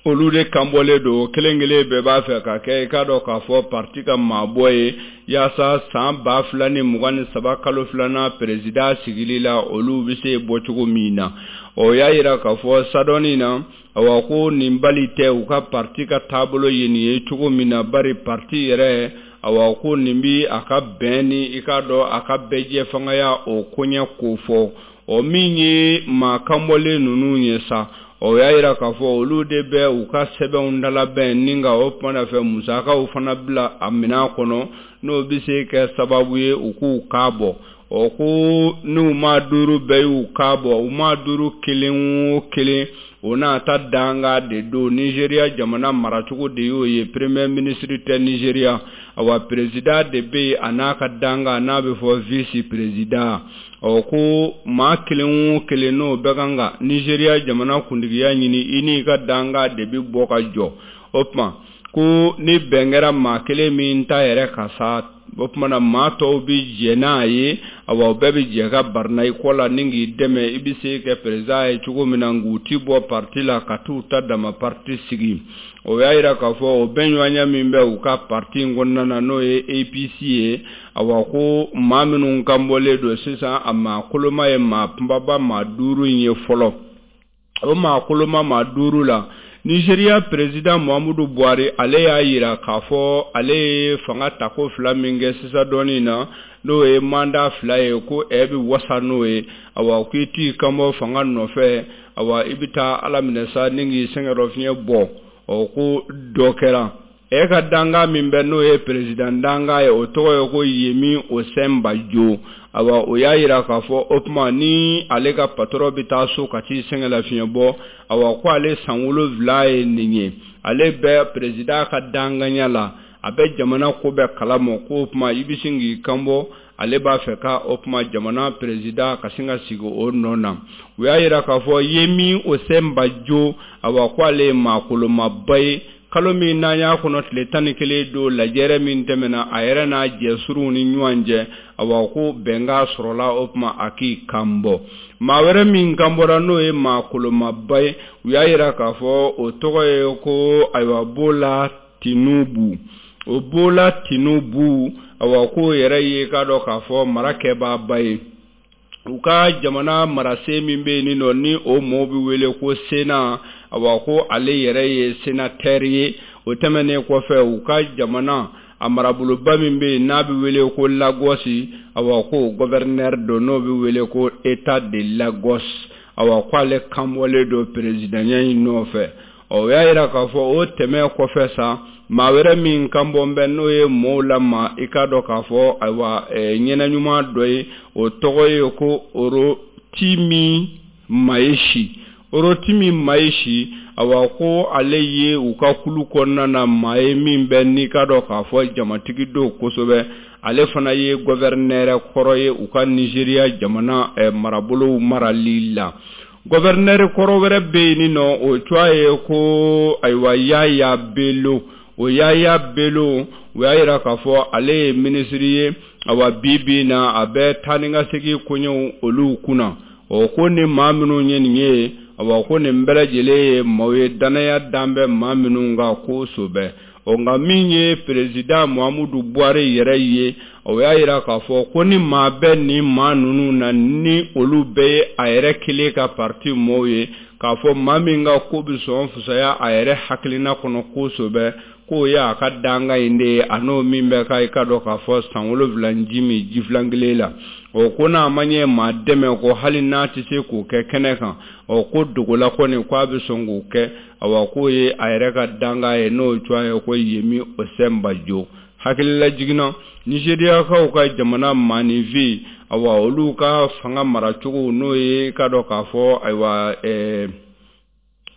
olu de kanbɔlen don, kelen kelen bɛɛ b'a fɛ ka kɛ i k'a dɔn k'a fɔ parti ka maabɔ ye, yaasa san ba fila ni mugan ni saba kalo filanan perezida sigili la olu bɛ se bɔcogo min na. O y'a jira k'a fɔ sadɔnni na, awa ko nin bali tɛ u ka parti ka taabolo ye nin ye cogo min na, bari parti yɛrɛ awa ko nin bi a ka bɛn ni i k'a dɔn a ka bɛɛjɛ fangaya o koɲɛ ko fɔ. O min ye maa kanbɔlen ninnu ye sa, o y'a jira k'a fɔ olu de bɛ u ka sɛbɛnw dalabɛn ni ka o kumana fɛ musakaw fana bila a minɛn kɔnɔ, n'o bɛ se kɛ sababu ye u k'u kan bɔ. Ɔ ko n'u maa duuru bɛɛ y'u kan bɔ, u maa duuru kelen o kelen o n'a ta danga de don. Nizeriya jamana maracogo de y'o ye, premier ministre tɛ Nizeriya, awa perezida de bɛ yen a n'a ka danga n'a bɛ fɔ vice président. Ɔ ko maa kelen o kelen n'o bɛ kan ka Nizeriya jamana kuntigiya ɲini, i n'i ka danga de bɛ bɔ ka jɔ. O tuma ko ni bɛn kɛra maa kelen min ta yɛrɛ ka sa, o tuma na maa tɔw bɛ jɛ n'a ye, awa o bɛɛ bɛ jɛ ka barina i kɔ la ni k'i dɛmɛ i bɛ se kɛ perezida ye cogo min na, nk'u ti bɔ parti la ka t'u ta dama parti sigi. O y'a jira k'a fɔ o bɛnɲɔgɔnya min bɛ u ka parti in kɔnɔna na n'o ye A P C ye, awa ko maa minnu kanbɔlen don sisan, a maa koloma ye maa kunbaba maa duuru in ye fɔlɔ. O maa koloma maa duuru la, Nizeriya perezida Muhammadu Buhari ale y'a jira k'a fɔ ale ye fanga tako fila min kɛ sisan dɔɔnin na, n'o ye manda fila ye, ko ɛ bɛ wasa n'o ye. Awa k'i t'i kanbɔ fanga nɔfɛ, awa i bɛ taa Ala minɛ sa ni k'i sɛgɛnnafiɲɛ bɔ. Ɔ ko dɔ kɛra e ka danga min bɛ n'o ye perezida danga ye, o tɔgɔ ye ko Yemi Osinbajo. Awa o y'a jira k'a fɔ o tuma ni ale ka patɔrɔn bɛ taa so ka t'i sɛgɛnlafiɲɛ bɔ, awa ko ale san wolonwula ye nin ye, ale bɛ perezida ka danganya la. a bɛ jamana ko bɛɛ kalama ko o tuma i bɛ sin k'i kanbɔ ale b'a fɛ ka o tuma jamana perezida ka sin ka sigi o nɔ na. U y'a yira k'a fɔ Yemi Osinbajo awa ko ale ye maakolomaba ye. Kalo min n'an y'a kɔnɔ tile tan ni kelen don lajɛrɛ min tɛmɛna a yɛrɛ n'a jɛsuruw ni ɲɔgɔn cɛ awa ko bɛnkan sɔrɔla o tuma a k'i kan bɔ. Maa wɛrɛ min kan bɔra n'o ye maakolomaba ye, u y'a yira k'a fɔ o tɔgɔ ye ko ayiwa Bola Tinubu. O Bola Tinubu awa k'o yɛrɛ ye k'a dɔn k'a fɔ mara kɛbaaba ye. U ka jamana marasen min bɛ yen nɔ ni o mɔɔw bɛ wele ko Sénat, awa ko ale yɛrɛ ye sénateur ye. O tɛmɛnen kɔfɛ u ka jamana a maraboloba min bɛ yen n'a bɛ wele ko Lagos, awa ko gouverneur don n'o bɛ wele ko État de Lagos, awa ko ale kanbɔlen don présidentya in nɔfɛ. Ɔ o y'a yira k'a fɔ o tɛmɛ kɔfɛ sa maa wɛrɛ min kan bɔ bɛ n'o ye mɔɔw lama i k'a dɔn k'a fɔ ayiwa ɲɛnɛ ɲuman dɔ ye, o tɔgɔ ye ko Rotimi Mayeshi. Rotimi Mayeshi awa ko ale ye u ka kulu kɔnɔna na maa ye min bɛ n'i k'a dɔn k'a fɔ jamatigi don kosɛbɛ. Ale fana ye gouverneur kɔrɔ ye u ka Nigéria jamana marabolow marali la. Gouverneur kɔrɔ wɛrɛ bɛ yen nɔ o tɔgɔ ye ko ayiwa Yaya Bello. O Yaya Bello u y'a yira k'a fɔ ale ye minisiri ye, awa bi bi in na a bɛ taa ni ka segin koɲɛw olu kunna. O ko ni maa minnu ye nin ye, awa ko nin bɛɛ lajɛlen ye maaw ye danaya dan bɛ maa minnu kan kosɛbɛ. Ɔ nka min ye perezida Muhammadu Buhari yɛrɛ ye, o y'a yira k'a fɔ ko ni maa bɛ nin maa ninnu na ni olu bɛɛ ye a yɛrɛ kelen ka parti mɔɔw ye, k'a fɔ maa min ka ko bɛ sɔn fisaya a yɛrɛ hakilina kɔnɔ kosɛbɛ, k'o ye a ka danga in de ye a n'o min bɛ ka i ka dɔn k'a fɔ san wolonwula ji min ji filan kelen la. O ko n'a ma ɲɛ maa dɛmɛ ko hali n'a tɛ se k'o kɛ kɛnɛ kan, ɔ ko dogola kɔni k'a bɛ sɔn k'o kɛ, awa k'o ye a yɛrɛ ka danga ye n'o tɔgɔ ye ko Yemi Osinbajo. Hakilila jiginna Nigériakaw ka jamana maaninfin awa olu ka fanga maracogo n'o ye ka dɔn k'a fɔ ayiwa ɛɛ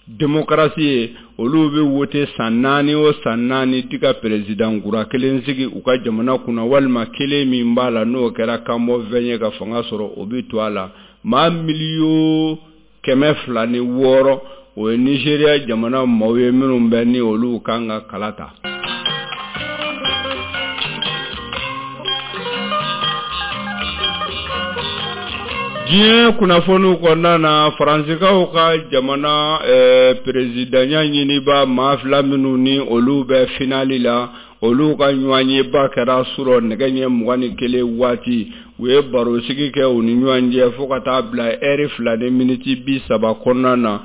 démocratie ye, olu bɛ wote san naani o san naani ti ka président kura kelen sigi u ka jamana kunna, walima kelen min b'a la n'o kɛra kanbɔfɛn ye ka fanga sɔrɔ o bɛ to a la. Maa miliyɔn kɛmɛ fila ni wɔɔrɔ o ye Nigéria jamana maaw ye minnu bɛ ni olu kan ka kala ta. Diɲɛ kunnafoniw kɔnɔna na, Faransikaw ka jamana perezidanya ɲiniba maa fila minnu ni olu bɛ finali la, olu ka ɲɔgɔnyeba kɛra surɔ nɛgɛ ɲɛ mugan ni kelen waati. U ye barosigi kɛ u ni ɲɔgɔn cɛ fo ka taa bila ɛri fila ni miniti bi saba kɔnɔna na.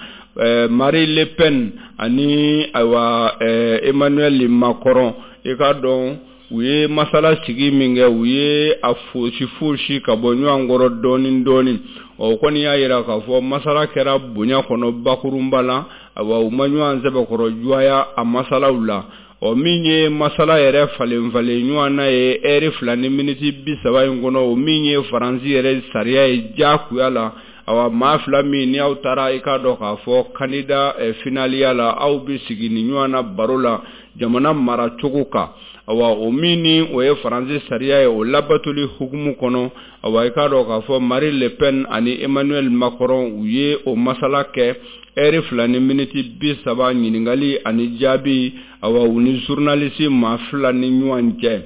Marine Le Pen ani ayiwa Emmanuel Macron, i k'a dɔn u ye masala sigi min kɛ, u ye a fosi fosi ka bɔ ɲɔgɔn kɔrɔ dɔɔni dɔɔni. Ɔ kɔni y'a yira k'a fɔ masala kɛra bonya kɔnɔ bakurunba la, awa u ma ɲɔgɔn sɛbɛkɔrɔ juwaya a masalaw la. Ɔ min ye masala yɛrɛ falen falen ɲɔgɔn na ye ɛri fila ni miniti bi saba in kɔnɔ, o min ye Faransi yɛrɛ sariya ye diyagoya la. Awa maa fila min ni aw taara i k'a dɔn k'a fɔ kandida finaliya la, aw bɛ sigi ni ɲɔgɔn na baro la jamana maracogo kan. Awa o min ni o ye Faransi sariya ye o labatoli hukumu kɔnɔ, awa i k'a dɔn k'a fɔ Marine Le Pen ani Emmanuel Macron u ye o masala kɛ ɛri fila ni miniti bi saba ɲininkali ani jaabi, awa u ni journaliste maa fila ni ɲɔgɔn cɛ.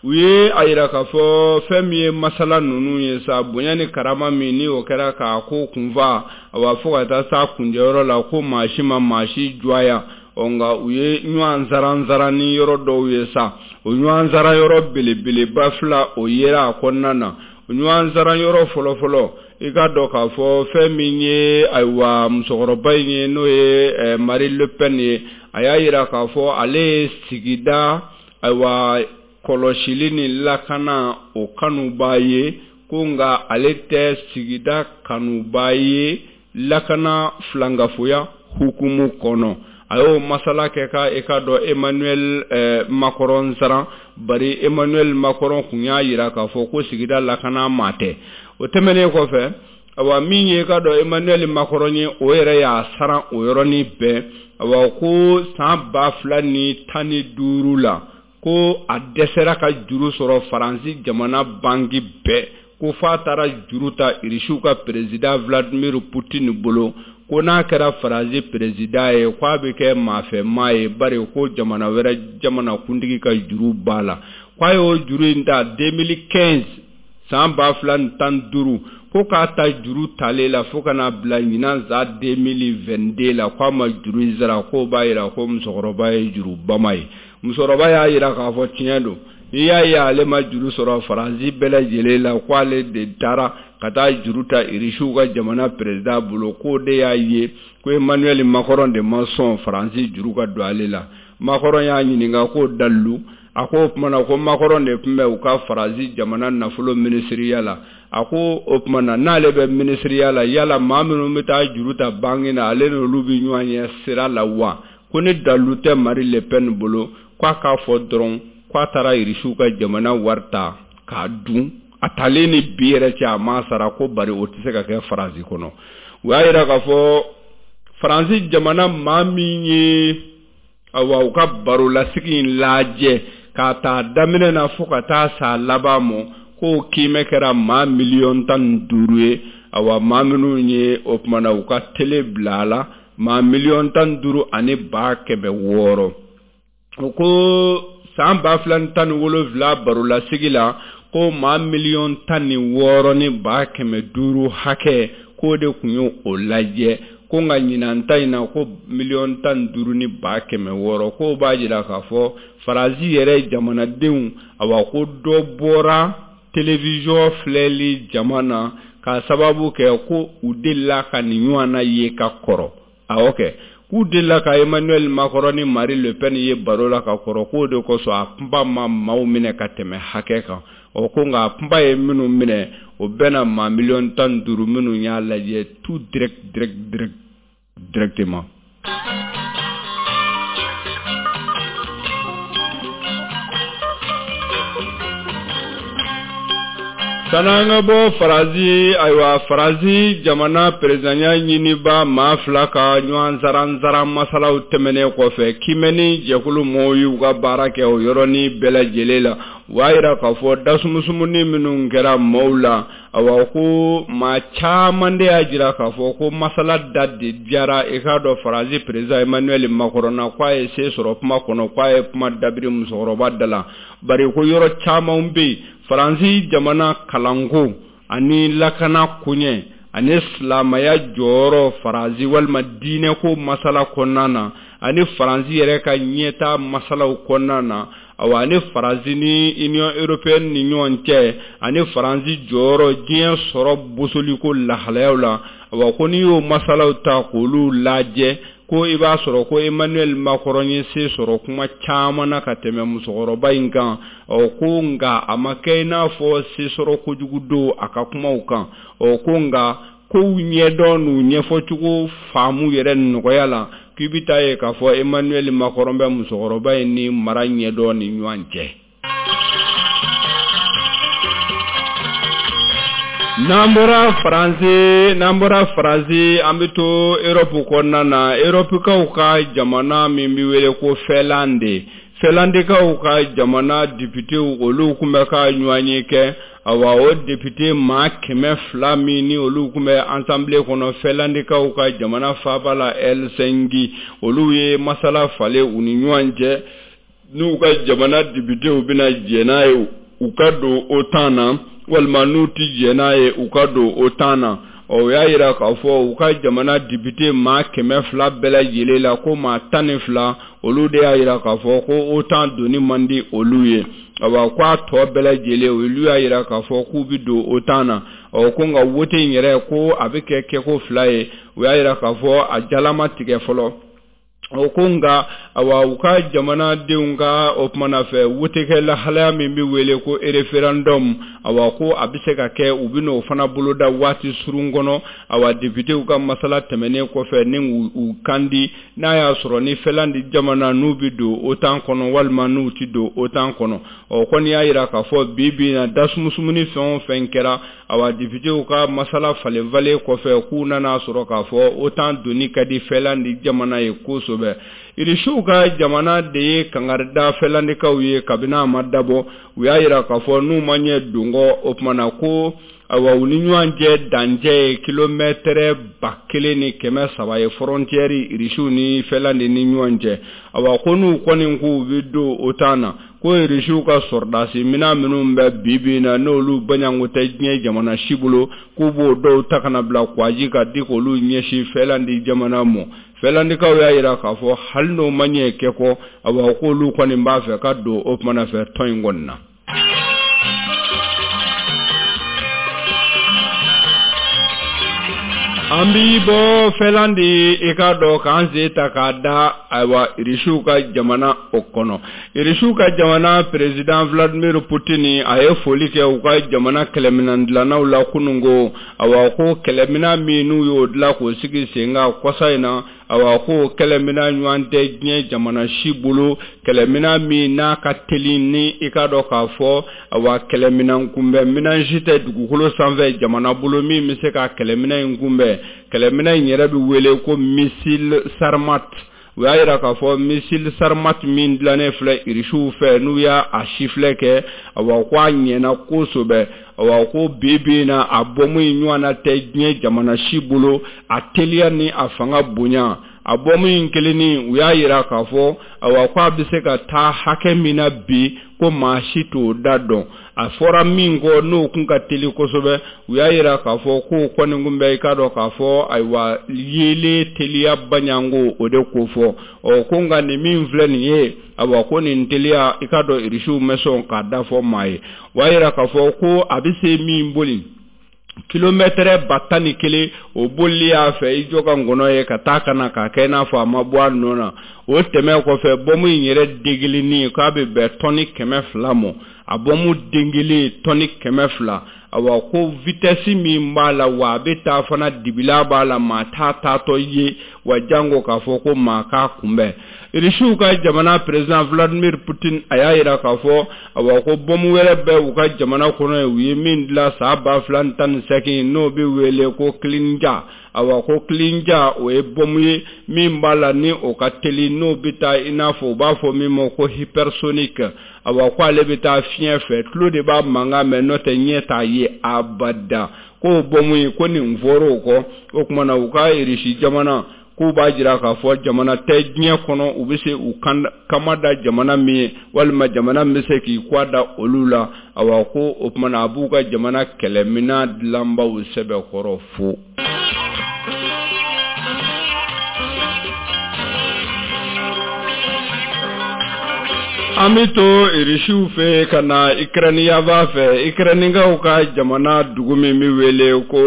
U ye a yira k'a fɔ fɛn min ye masala ninnu ye sa, bonya ni karama min ni o kɛra k'a ko kunfa, awa fo ka taa s'a kunjɛyɔrɔ la ko maa si ma maa si jɔya. Ɔ nka u ye ɲɔgɔn saran ni yɔrɔ dɔw ye sa, o ɲɔgɔn sara yɔrɔ belebeleba fila o yera a kɔnɔna na. O ɲɔgɔn sara yɔrɔ fɔlɔfɔlɔ, i k'a dɔn k'a fɔ fɛn min ye ayiwa musokɔrɔba in ye n'o ye Marine Le Pen ye, a y'a yira k'a fɔ ale ye sigida ayiwa kɔlɔsili ni lakana o kanuba ye, ko nka ale tɛ sigida kanuba ye lakana filankafoya hukumu kɔnɔ. A y'o masala kɛ ka i k'a dɔn Emmanuel Macron saran, bari Emmanuel Macron kun y'a yira k'a fɔ ko sigida lakana maa tɛ. O tɛmɛnen kɔfɛ, Awa min ye ka dɔn Emmanuel Macron ye, o yɛrɛ y'a saran o yɔrɔnin bɛɛ. Awa ko san ba fila ni tan ni duuru la, ko a dɛsɛra ka juru sɔrɔ Faransi jamana banki bɛɛ, ko f'a taara juru ta Irisiw ka président Vladimir Poutine bolo, ko n'a kɛra Faransi président ye, k'a bɛ kɛ maafɛmaa ye, bari ko jamana wɛrɛ jamanakuntigi ka juru b'a la. K'a y'o juru in ta deux mille quinze, san ba fila ni tan ni duuru, ko k'a ta juru talen la fo ka n'a bila ɲinan san deux mille vingt-deux la, k'a ma juru in sara. K'o b'a jira ko musokɔrɔba ye jurubama ye. Musokɔrɔba y'a jira k'a fɔ tiɲɛ don, n'i y'a ye ale ma juru sɔrɔ Faransi bɛɛ lajɛlen la, k'ale de taara ka taa juru ta Irisiw ka jamana président bolo, k'o de y'a ye ko Emmanuel Macron de ma sɔn Faransi juru ka don ale la. Macron y'a ɲininka k'o dalilu, a ko o tuma na ko Macron de tun bɛ u ka Faransi jamana nafolo minisiriya la. A ko o tuma na n'ale bɛ minisiriya la, yala maa minnu bɛ taa juru ta banki na, ale n'olu bɛ ɲɔgɔn ye sira la wa? Ko ni dalilu tɛ Marine Le Pen bolo, k'a k'a fɔ dɔrɔn k'a taara Irisiw ka jamana wari ta k'a dun, a talen ni bi yɛrɛ cɛ a ma sara, ko bari o tɛ se ka kɛ Faransi kɔnɔ. U y'a jira k'a fɔ Faransi jamana maa min ye awa u ka barolasigi in lajɛ k'a ta daminɛ na fo ka taa s'a laban ma, k'o kiimɛ kɛra maa miliyɔn tan ni duuru ye. Awa maa minnu ye o tuma na u ka tele bila a la, maa miliyɔn tan ni duuru ani ba kɛmɛ wɔɔrɔ. O ko san ba fila ni tan ni wolonwula barolasigi la, ko maa miliyɔn tan ni wɔɔrɔ ni ba kɛmɛ duuru hakɛ, k'o de tun ye o lajɛ. Ko nka ɲinan ta in na, ko miliyɔn tan ni duuru ni ba kɛmɛ wɔɔrɔ. K'o b'a jira k'a fɔ Faransi yɛrɛ jamanadenw, awa ko dɔ bɔra télévision filɛli jama na k'a sababu kɛ ko u delila ka nin ɲɔgɔnna ye ka kɔrɔ. Awɔ kɛ, k'u delila ka Emmanuel Macron ni Marine Le Pen ye baro la ka kɔrɔ, k'o de kosɔn a kunba ma maaw minɛ ka tɛmɛ hakɛ kan. Ɔ ko nka a kunba ye minnu minɛ, o bɛnna maa miliyɔn tan ni duuru minnu y'a lajɛ tout direct direct direct directement. San'an ka bɔ Faransi, ayiwa Faransi jamana perezidanya ɲiniba maa fila ka ɲɔgɔn saran-saran masalaw tɛmɛnen kɔfɛ, kiimɛni jɛkulu mɔgɔw y'u ka baara kɛ o yɔrɔnin bɛɛ lajɛlen la. U y'a jira k'a fɔ dasumusumuni minnu kɛra maaw la, awa ko maa caman de y'a jira k'a fɔ ko masala da de diyara i k'a dɔn Faransi perezida Emmanuel Macron na, k'a ye se sɔrɔ kuma kɔnɔ, k'a ye kuma dabiri musokɔrɔba da la. Bari ko yɔrɔ caman bɛ yen Faransi jamana kalanko ani lakana koɲɛ ani silamɛya jɔyɔrɔ Faransi walima diinɛko masala kɔnɔna na, ani Faransi yɛrɛ ka ɲɛtaa masalaw kɔnɔna na, awa ani Faransi ni Union européenne ni ɲɔgɔn cɛ, ani Faransi jɔyɔrɔ diɲɛ sɔrɔ bosoliko lahalayaw la, awa ko n'i y'o masalaw ta k'olu lajɛ, ko i b'a sɔrɔ ko Emmanuel Macron ye se sɔrɔ kuma caman na ka tɛmɛ musokɔrɔba in kan. Ɔ ko nka a ma kɛ i n'a fɔ se sɔrɔ kojugu don a ka kumaw kan. Ɔ ko nka kow ɲɛdɔn n'u ɲɛfɔcogo faamu yɛrɛ nɔgɔya la, k'i bɛ taa ye k'a fɔ Emmanuel Macron bɛ musokɔrɔba in ni mara ɲɛdɔn ni ɲɔgɔn cɛ. N'an bɔra Faransi, n'an bɔra Faransi, an bɛ to Europe kɔnɔna na. Europekaw ka jamana min bɛ wele ko Finlande, Finlandekaw ka jamana députéw olu tun bɛ ka ɲɔgɔnye kɛ. Awa o député maa kɛmɛ fila min ni olu tun bɛ assemblée kɔnɔ Finlandekaw ka jamana faaba la Helsinki, olu ye masala falen u ni ɲɔgɔn cɛ n'u ka jamana députéw bɛna jɛn n'a ye u ka don OTAN na, walima n'u ti jɛn n'a ye u ka don OTAN na. Ɔ o y'a jira k'a fɔ u ka jamana député maa kɛmɛ fila bɛɛ lajɛlen la, ko maa tan ni fila olu de y'a jira k'a fɔ ko OTAN donni man di olu ye. Awa k'a tɔ bɛɛ lajɛlen olu y'a jira k'a fɔ k'u bɛ don OTAN na. Ɔ ko nka wote in yɛrɛ ko a bɛ kɛ kɛko fila ye. U y'a jira k'a fɔ a jalama tigɛ fɔlɔ. O ko nka awa u ka jamanadenw ka o kumana fɛ wotekɛ lahalaya min bɛ wele ko référendum, awa ko a bɛ se ka kɛ u bɛ n'o fana boloda waati surun kɔnɔ. Awa députéw ka masala tɛmɛnen kɔfɛ ni u kan di n'a y'a sɔrɔ ni Finlande jamana n'u bɛ don OTAN kɔnɔ walima n'u tɛ don OTAN kɔnɔ. Ɔ kɔni y'a jira k'a fɔ bi bi in na dasumusumuni fɛn o fɛn kɛra, awa députéw ka masala falenfalen kɔfɛ k'u nana sɔrɔ k'a fɔ OTAN donni ka di Finlande jamana ye kosɛbɛ. Irisiw ka jamana de ye kangarida Finlandekaw ye kabini a ma dabɔ. U y'a jira k'a fɔ n'u ma ɲɛ donkɔ o tuma na ko awa u ni ɲɔgɔn cɛ dancɛ ye kilomɛtɛrɛ ba kelen ni kɛmɛ saba ye, frontière irisiw ni Finlande ni ɲɔgɔn cɛ. Awa ko n'u kɔni k'u bɛ don OTAN na, ko irisiw ka sɔrɔdasi minɛn minnu bɛ bi bi in na n'olu baɲanko tɛ diɲɛ jamana si bolo, k'u b'o dɔw ta ka na bila kwaji ka di k'olu ɲɛsin Finlande jamana ma. Finlandekaw y'a jira k'a fɔ hali n'o ma ɲɛ kɛ kɔ, awa k'olu kɔni b'a fɛ ka don o kumana fɛ tɔn in kɔni na. An bi bɔ Finlande i k'a dɔn k'an sen ta k'a da ayiwa irisiw ka jamana o kɔnɔ. Irisiw ka jamana président Vladimir Poutine a ye foli kɛ u ka jamana kɛlɛminɛn dilannaw la kununko. Awa ko kɛlɛminɛn min n'u y'o dilan k'o sigi sen kan kɔsa in na, awa ko kɛlɛminɛn ɲɔgɔn tɛ diɲɛ jamana si bolo, kɛlɛminɛn min n'a ka teli ni i k'a dɔn k'a fɔ awa kɛlɛminɛn kunbɛn minɛn si tɛ dugukolo sanfɛ jamana bolo min bɛ se ka kɛlɛminɛn in kunbɛn. Kɛlɛminɛn in yɛrɛ bɛ wele ko missile Sarmat. U y'a jira k'a fɔ missile Sarmat min dilannen filɛ irisiw fɛ n'u y'a a sifilɛ kɛ, awa ko a ɲɛna kosɛbɛ. Awa ko bi bi in na a bɔmu in ɲɔgɔnna tɛ diɲɛ jamana si bolo, a teliya ni a fanga bonya. A bɔmu in kelenni u y'a jira k'a fɔ awa ko a bɛ se ka taa hakɛ min na bi ko maa si t'o da dɔn. A fɔra min kɔ n'o kun ka teli kosɛbɛ, u y'a jira k'a fɔ k'o kɔni kun bɛ i k'a dɔn k'a fɔ ayiwa yeelen teliya baɲanko o de ko fɔ. Ɔ ko nka nin min filɛ nin ye, awa ko nin teliya i k'a dɔn irisiw ma sɔn k'a da fɔ maa ye. O y'a jira k'a fɔ ko a bɛ se min boli kilomɛtɛrɛ ba tan ni kelen o bolili y'a fɛ i jɔ ka ngɔnɔ ye ka taa ka na k'a kɛ i n'a fɔ a ma bɔ a nɔ na. O tɛmɛ kɔfɛ bɔmu in yɛrɛ degelinin k'a bɛ bɛn tɔni kɛmɛ fila ma, a bɔmu den kelen tɔni kɛmɛ fila. Awa ko vitesse min b'a la wa a bɛ taa fana dibila b'a la maa t'a taatɔ ye wa jango k'a fɔ ko maa k'a kunbɛn. Irisiw ka jamana président Vladimir Poutine a y'a jira k'a fɔ awa ko bɔmu wɛrɛ bɛ u ka jamana kɔnɔ yen u ye min dilan san ba fila ni tan ni seegin n'o bɛ wele ko Klinja. Awa ko Klinja o ye bɔmu ye min b'a la ni o ka teli n'o bɛ taa i n'a fɔ u b'a fɔ min ma ko hypersonique. Awa ko ale bɛ taa fiɲɛ fɛ, tulo de b'a mankan mɛn n'o tɛ ɲɛ t'a ye abada. K'o bɔmu in ko nin fɔr'o kɔ, o tuma na u ka Irisi jamana k'u b'a jira k'a fɔ jamana tɛ diɲɛ kɔnɔ u bɛ se u kama da jamana min ye walima jamana min bɛ se k'i kɔ da olu la. Awa ko o tuma na a b'u ka jamana kɛlɛminɛn dilanbaw sɛbɛkɔrɔ fo. An bɛ to irisiw fɛ ka na Ukraine yanfan fɛ. Ukrainekaw ka jamana dugu min bɛ wele ko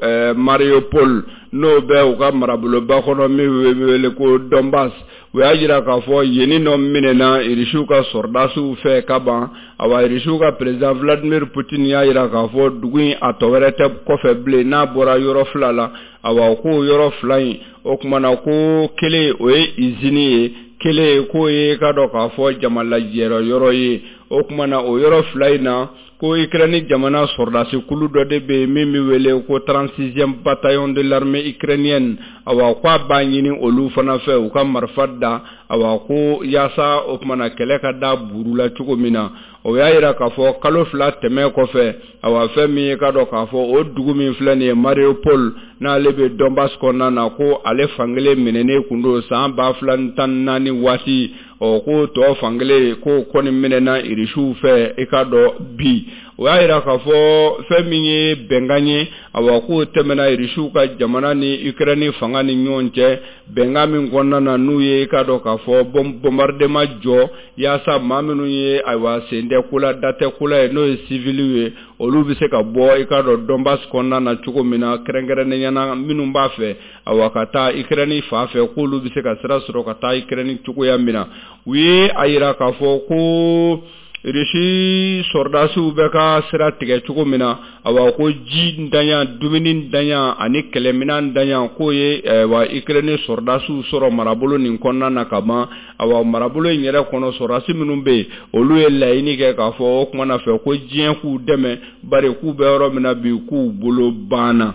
eh, Mariupol n'o bɛ u ka maraboloba kɔnɔ min bɛ wele ko Donbass. U y'a jira k'a fɔ yen nɔ minɛna irisiw ka sɔrɔdasiw fɛ ka ban. Awa irisiw ka président Vladimir Poutine y'a jira k'a fɔ dugu in a tɔ wɛrɛ tɛ kɔfɛ bilen n'a bɔra yɔrɔ fila la. Awa ko yɔrɔ fila in o tuma na ko kelen o ye izini ye, kelen k'o ye k'a dɔn k'a fɔ jama lajɛyɔrɔ yɔrɔ ye. O tuma na o yɔrɔ fila in na ko Ukraine jamana sɔrɔdasi kulu dɔ de bɛ yen min bɛ wele ko trente-sixième bataillon de l'armée ukrainienne. Awa ko a b'a ɲini olu fana fɛ u ka marifa da, awa ko yaasa o tuma na kɛlɛ ka da buru la cogo min na. O y'a jira k'a fɔ kalo fila tɛmɛ kɔfɛ, awa fɛn min ye k'a dɔn k'a fɔ o dugu min filɛ nin ye Mariupol n'ale bɛ Donbass kɔnɔna na ko ale fankelen minɛnen kun don san ba fila ni tan ni naani waati. Ɔ ko tɔ fankelen k'o kɔni minɛna irisiw fɛ i k'a dɔn bi. O y'a yira k'a fɔ fɛn min ye bɛnkan ye, awa k'o tɛmɛna Irisiw ka jamana ni Ukraine fanga ni ɲɔgɔn cɛ, bɛnkan min kɔnɔna na n'u ye i k'a dɔn k'a fɔ bombardement jɔ yaasa maa minnu ye ayiwa sen tɛ ko la da tɛ ko la ye n'o ye civiliw ye, olu bɛ se ka bɔ i k'a dɔn Donbass kɔnɔna na cogo min na, kɛrɛnkɛrɛnnenya la minnu b'a fɛ awa ka taa Ukraine fan fɛ k'olu bɛ se ka sira sɔrɔ ka taa Ukraine cogoya min na. U ye a yira k'a fɔ ko Irisi sɔrɔdasiw bɛ ka sira tigɛ cogo min na, awa ko ji ntanya, dumuni ntanya ani kɛlɛminɛn ntanya k'o ye wa Ukraine sɔrɔdasiw sɔrɔ marabolo nin kɔnɔna na ka ban. Awa marabolo in yɛrɛ kɔnɔ sɔrɔdasi minnu bɛ yen, olu ye laɲini kɛ k'a fɔ o tuma na fɛ ko diɲɛ k'u dɛmɛ, bari k'u bɛ yɔrɔ min na bi k'u bolo banna.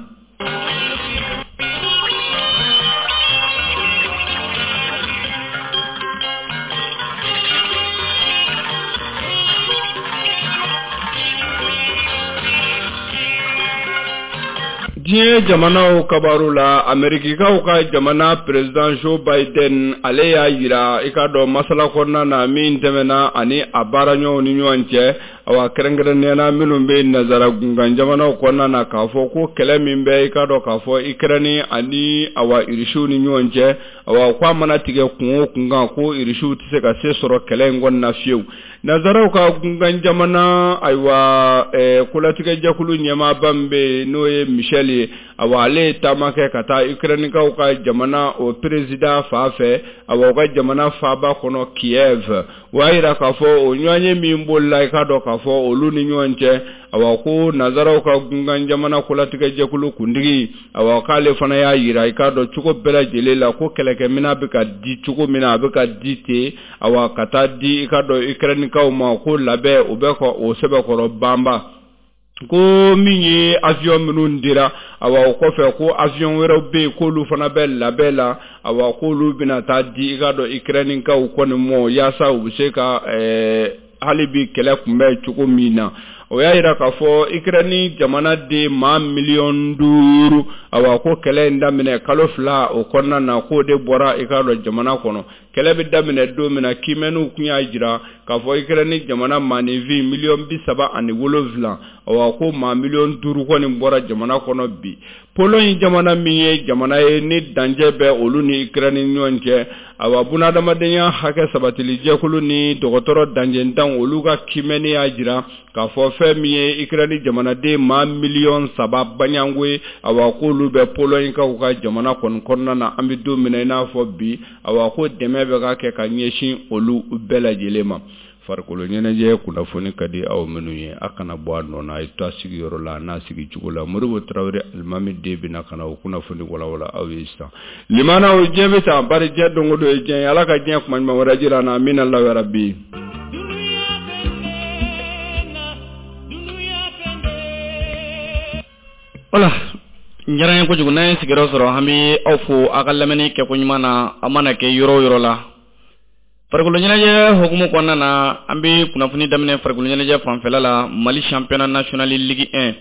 Diɲɛ jamanaw kabaru la, Amerikikaw ka jamana président Joe Biden ale y'a yira i k'a dɔn masala kɔnɔna na min tɛmɛna ani a baaraɲɔgɔnw ni ɲɔgɔn cɛ, awa kɛrɛnkɛrɛnnenya la minnu bɛ nazara gunkan jamanaw kɔnɔna na k'a fɔ ko kɛlɛ min bɛ i k'a dɔn k'a fɔ Ukraine ani awa Irisiw ni ɲɔgɔn cɛ, awa k'a mana tigɛ kun o kun kan ko Irisiw tɛ se ka se sɔrɔ kɛlɛ in kɔnɔna na fiyewu. Nazaraw ka gunkan jamana ayiwa eh, kolatigɛjɛkulu ɲɛmaaba min bɛ yen n'o ye Michel ye, awa ale ye taama kɛ ka taa Ukrainekaw ka jamana o président fan fɛ, awa u ka jamana faaba kɔnɔ Kiev. O y'a yira k'a fɔ o ɲɔgɔnye min bolila i k'a dɔn k'a fɔ olu ni ɲɔgɔn cɛ, awa ko nazaraw ka gunkan jamana kolatigɛjɛkulu kuntigi, awa k'ale fana y'a yira i k'a dɔn cogo bɛɛ lajɛlen la ko kɛlɛkɛminɛn bɛ ka di cogo min na a bɛ ka di ten, awa ka taa di i k'a dɔn Ukrainekaw ma ko labɛn o bɛ ka o sɛbɛkɔrɔ banba. Ko min ye avion minnu dira, awa o kɔfɛ ko avion wɛrɛw bɛ yen k'olu fana bɛ labɛn la, awa k'olu bɛna taa di i k'a dɔn Ukrainekaw kɔni mɔ yaasa u bɛ se ka ɛɛ hali bi kɛlɛ kunbɛn cogo min na. O y'a yira k'a fɔ Ukraine jamana den maa miliyɔn duuru, awa ko kɛlɛ in daminɛ kalo fila o kɔnɔna na k'o de bɔra i k'a dɔn jamana kɔnɔ. Kɛlɛ bɛ daminɛ don min na kiimɛniw tun y'a jira k'a fɔ Ukraine jamana maaninfin miliyɔn bi saba ani wolonwula, awa ko maa miliyɔn duuru kɔni bɔra jamana kɔnɔ bi. Pologne jamana min ye jamana ye ni dancɛ bɛ olu ni Ukraine ɲɔgɔn cɛ, awa bunadamadenya hakɛ sabatili jɛkulu ni dɔgɔtɔrɔ dancɛntanw olu ka kiimɛni y'a jira k'a fɔ fɛn min ye Ukraine jamanaden maa miliyɔn saba baɲango ye, awa k'olu bɛ Pologne kaw ka jamana kɔni kɔnɔna na an bɛ don min na i n'a fɔ bi, awa ko dɛmɛ bɛ ka kɛ ka ɲɛsin olu bɛɛ lajɛlen ma. Farikolo ɲɛnajɛ kunnafoni ka di aw minnu ye, a kana bɔ a nɔ na, a ye to a sigiyɔrɔ la n'a sigi cogo la. Modibo Tarawele alimami den bɛna ka na o kunnafoni walawala aw ye sisan. Limanaw diɲɛ bɛ taa bari diɲɛ don o don ye diɲɛ ye, Ala ka diɲɛ kuma ɲuman wɛrɛ jira an na, amina yarabi. Wala diyara n ye kojugu n'an ye sigiyɔrɔ sɔrɔ, an bɛ aw fo aw ka lamɛnni kɛko ɲuman na, a mana kɛ yɔrɔ o yɔrɔ la. Farikolo ɲɛnajɛ hukumu kɔnɔna na, an bɛ kunnafoni daminɛ farikolo ɲɛnajɛ fanfɛla la. Mali championnat national Ligue un,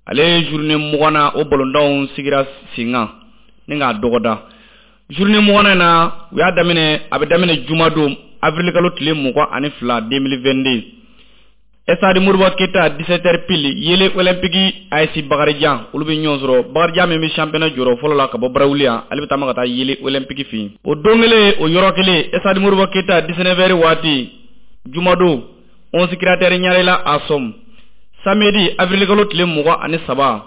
ale ye journée mugan na o balontanw sigira sen kan ni k'a dɔgɔda. Journée mugan na u y'a daminɛ, a bɛ daminɛ jumadon avril kalo tile mugan ani fila deux mille vingt-deux. Stade Modibo Keita dix-sept heures pile, Yele Olympique A S Bakarijan olu bɛ ɲɔgɔn sɔrɔ. Bakarijan min bɛ championnat jɔyɔrɔ fɔlɔ la ka bɔ Barawuli yan, ale bɛ taama ka taa Yele Olympique fɛ yen. O don kelen o yɔrɔ kelen, Stade Modibo Keita dix-neuf heures waati jumadon, onze Créateurs Ɲarela Asom. Samedi avril kalo tile mugan ani saba,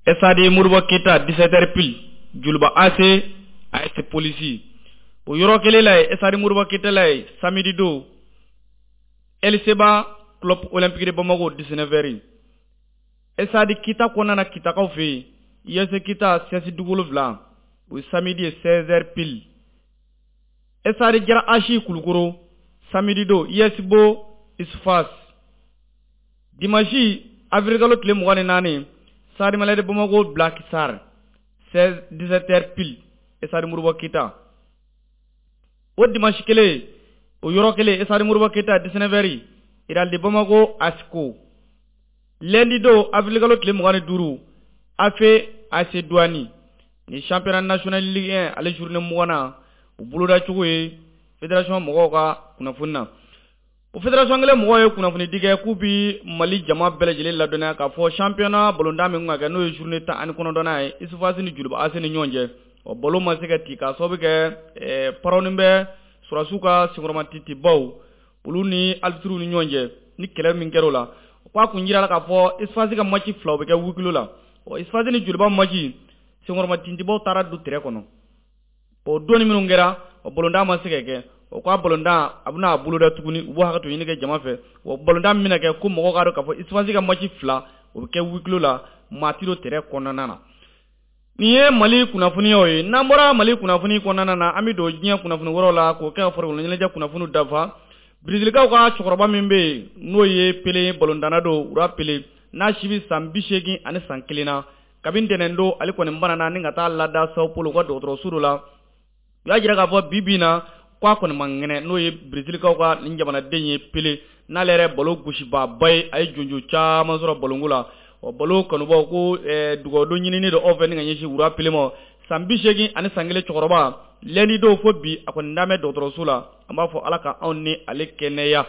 Stade Modibo Keita dix-sept heures pile, Joliba A C A S Police. O yɔrɔ kelen la yen, Stade Modibo Keita la yen, samedi don, L C B A Club Olympique de Bamako dix-neuf heures. Stade Kita kɔnɔna na Kitakaw fɛ yen, I S Kita C S Dugu wolonwula, o ye samedi ye seize heures pile. Stade Jara Achi Kulukoro samedi don, I S Bo Isfas. Dimanche avril kalo tile mugan ni naani, Stade Malien de Bamako Black Star seize dix-sept heures pile, Stade Modibo Keita. O dimanche kelen o yɔrɔ kelen, Stade Modibo Keita dix-neuf heures, Real de Bamako Asco. Lundi don avril kalo tile mugan ni duuru, A F A C Douani ni championnat national Ligue un ale journée mugan na o boloda cogo ye fédération mɔgɔw ka kunnafoni na. O fédération kelen mɔgɔw ye kunnafoni di kɛ k'u bi Mali jama bɛɛ lajɛlen ladɔnniya k'a fɔ championnat balontan min kan ka kɛ n'o ye journée tan ani kɔnɔntɔnnan ye USFAS ni Joliba A C ni ɲɔgɔn cɛ, ɔ balo ma se ka ci k'a sababu kɛ parɔni bɛ sɔrɔdasiw ka senkɔrɔmatitibaw olu ni arbitres ni ɲɔgɔn cɛ ni kɛlɛ min kɛra o la. O k'a kun jira la k'a fɔ USFAS ka match fila o bɛ kɛ huis clos la. Ɔ USFAS ni Joliba match senkɔrɔmatintibaw taara don terrain kɔnɔ, o donni minnu kɛra o balontan ma se ka kɛ. O k'a balontan a bɛna a boloda tuguni, u b'o hakɛ to ɲini kɛ jama fɛ. O balontan min bɛna kɛ ko mɔgɔw k'a dɔn k'a fɔ USFAS ka match fila o bɛ kɛ huis clos la, maa ti don terrain kɔnɔna na. Nin ye Mali kunnafoniyaw ye. N'an bɔra Mali kunnafoni kɔnɔna na, an bɛ don diɲɛ kunnafoni wɛrɛw la k'o kɛ ka farikolo ɲɛnajɛ kunnafoniw dafa. Brésilikaw ka cɛkɔrɔba min bɛ yen n'o ye Pele balontanna don, Roi Pele, n'a si bɛ san bi seegin ani san kelen na, kabini ntɛnɛn don ale kɔni banana ni ka taa lada Sao Paulo ka dɔgɔtɔrɔso dɔ la. U y'a jira k'a fɔ bi bi in na k'a kɔni man kɛnɛ, n'o ye Brésilikaw ka nin jamanaden ye Pele, n'ale yɛrɛ balo gosibaaba ye, a ye jonjo caman sɔrɔ balonko la. Ɔ balo kanubaw ko dugawudon ɲinini don aw fɛ ni ka ɲɛsin Roi Pele ma. San bi seegin ani san kelen cɛkɔrɔba, lundi don fo bi a kɔni dan bɛ dɔgɔtɔrɔso la. An b'a fɔ Ala ka anw ni ale kɛnɛya.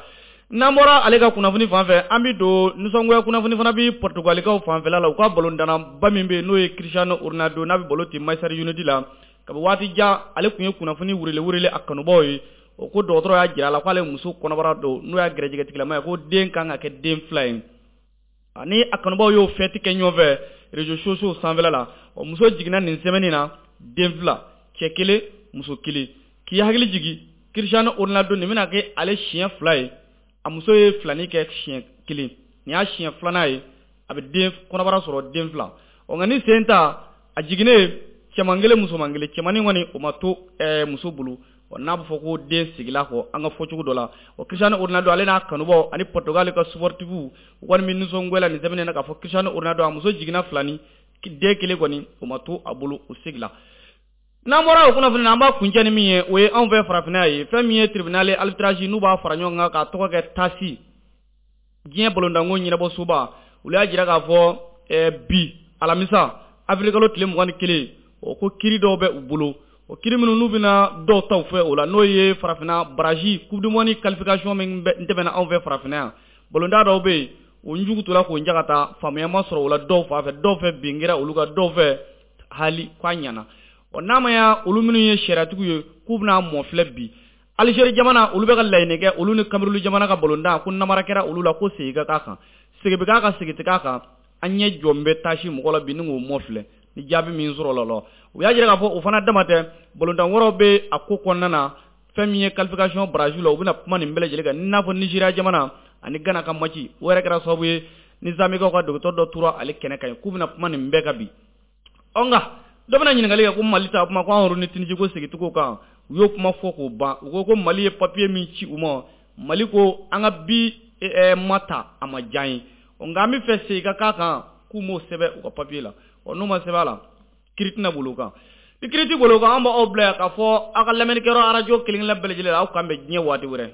N'an bɔra ale ka kunnafoni fan fɛ, an bɛ don nisɔngoya kunnafoni fana bi Portugalikaw fanfɛla la. U ka balontanna ba min bɛ yen n'o ye Cristiano Ronaldo, n'a bɛ balo ten Manchester United la, kabi waati jan ale tun ye kunnafoni wurele wurele a kanubaw ye. O ko dɔgɔtɔrɔ y'a jira a la k'ale muso kɔnɔbara don, n'o y'a gɛrɛjɛgɛtigilama ye, ko den kan ka kɛ den fila ye. Ani a kanubaw y'o fɛti kɛ ɲɔgɔn fɛ réseaux sociaux sanfɛla la. Ɔ muso jiginna nin semaine na den fila, cɛ kelen muso kelen. K'i hakili jigin Cristiano Ronaldo nin bɛna kɛ ale siɲɛ fila ye, a muso ye filani kɛ siɲɛ kelen, nin y'a siɲɛ filanan ye a bɛ den kɔnɔbara sɔrɔ den fila. Ɔ nka ni sen ta a jiginnen cɛman kelen musoman kelen, cɛmannin kɔni o ma to ɛɛ muso bolo. Ɔ n'a bɛ fɔ ko den sigila kɔ an ka fɔcogo dɔ la. Ɔ Cristiano Ronaldo ale n'a kanubaw ani Portugal ka sportif u kɔni bɛ nisɔngoya la nin semaine na k'a fɔ Cristiano Ronaldo a muso jiginna filani, den kelen kɔni o ma to a bolo, o sigila. N'an bɔra o kunnafoni na, an b'a kuncɛ ni min ye, o ye anw fɛ farafinna ye. Fɛn min ye tribunal arbitrage n'u b'a fara ɲɔgɔn kan k'a tɔgɔ kɛ TASI, diɲɛ balontanko ɲɛnabɔsoba, olu y'a jira k'a fɔ bi alamisa avril kalo tile mugan ni kelen, o ko kiiri dɔw bɛ u bolo. O kiiri minnu n'u bɛna dɔw ta u fɛ o la, n'o ye farafinna barrage coupe du monde qualification min tɛmɛna anw fɛ farafinna yan, balontan dɔw bɛ yen o njugu tora k'o njaga ta, faamuya ma sɔrɔ o la dɔw fan fɛ, dɔw fɛ bin kɛra olu kan, dɔw fɛ hali k'a ɲɛna. Ɔ n'a ma ya olu minnu ye sariyatigiw ye k'u bɛna mɔ filɛ bi Algérie jamana, olu bɛ ka laɲini kɛ olu ni Cameroun jamana ka balontan ko namara kɛra olu la, ko segin ka k'a kan, segin bɛ k'a kan, segin tɛ k'a kan. An ɲɛ jɔ bɛ tasi mɔgɔ la bi ni k'o mɔ filɛ ni jaabi min sɔrɔ la la. U y'a jira k'a fɔ o fana dama tɛ, balontan wɛrɛw bɛ a ko kɔnɔna na. Fɛn min ye qualification barrage la, u bɛna kuma nin bɛɛ lajɛlen kan, i n'a fɔ Nigeria jamana ani Ghana ka match o yɛrɛ kɛra sababu ye ni Zambikaw ka dɔgɔtɔrɔ dɔ tora ale kɛnɛ kan yen, k'u bɛna kuma nin bɛɛ kan bi. Ɔ nka dɔ bɛna ɲininkali kɛ ko Mali ta kuma ko an yɛrɛ ni Tunisie ko segincogo kan, u y'o kuma fɔ k'o ban. U ko ko Mali ye papier min ci u ma, Mali ko an ka bi ma ta a ma diya n ye, nka an bɛ fɛ segin ka k'a kan, k'u m'o sɛbɛn u ka papier la. Ɔ n'u ma sɛbɛn a la, kiiri tɛna boli o kan. Ni kiiri tɛ boli o kan, an b'aw bila yan k'a fɔ aw ka lamɛnnikɛyɔrɔ arajo kelen-kelen bɛɛ lajɛlen la, aw k'an bɛn diɲɛ waati wɛrɛ.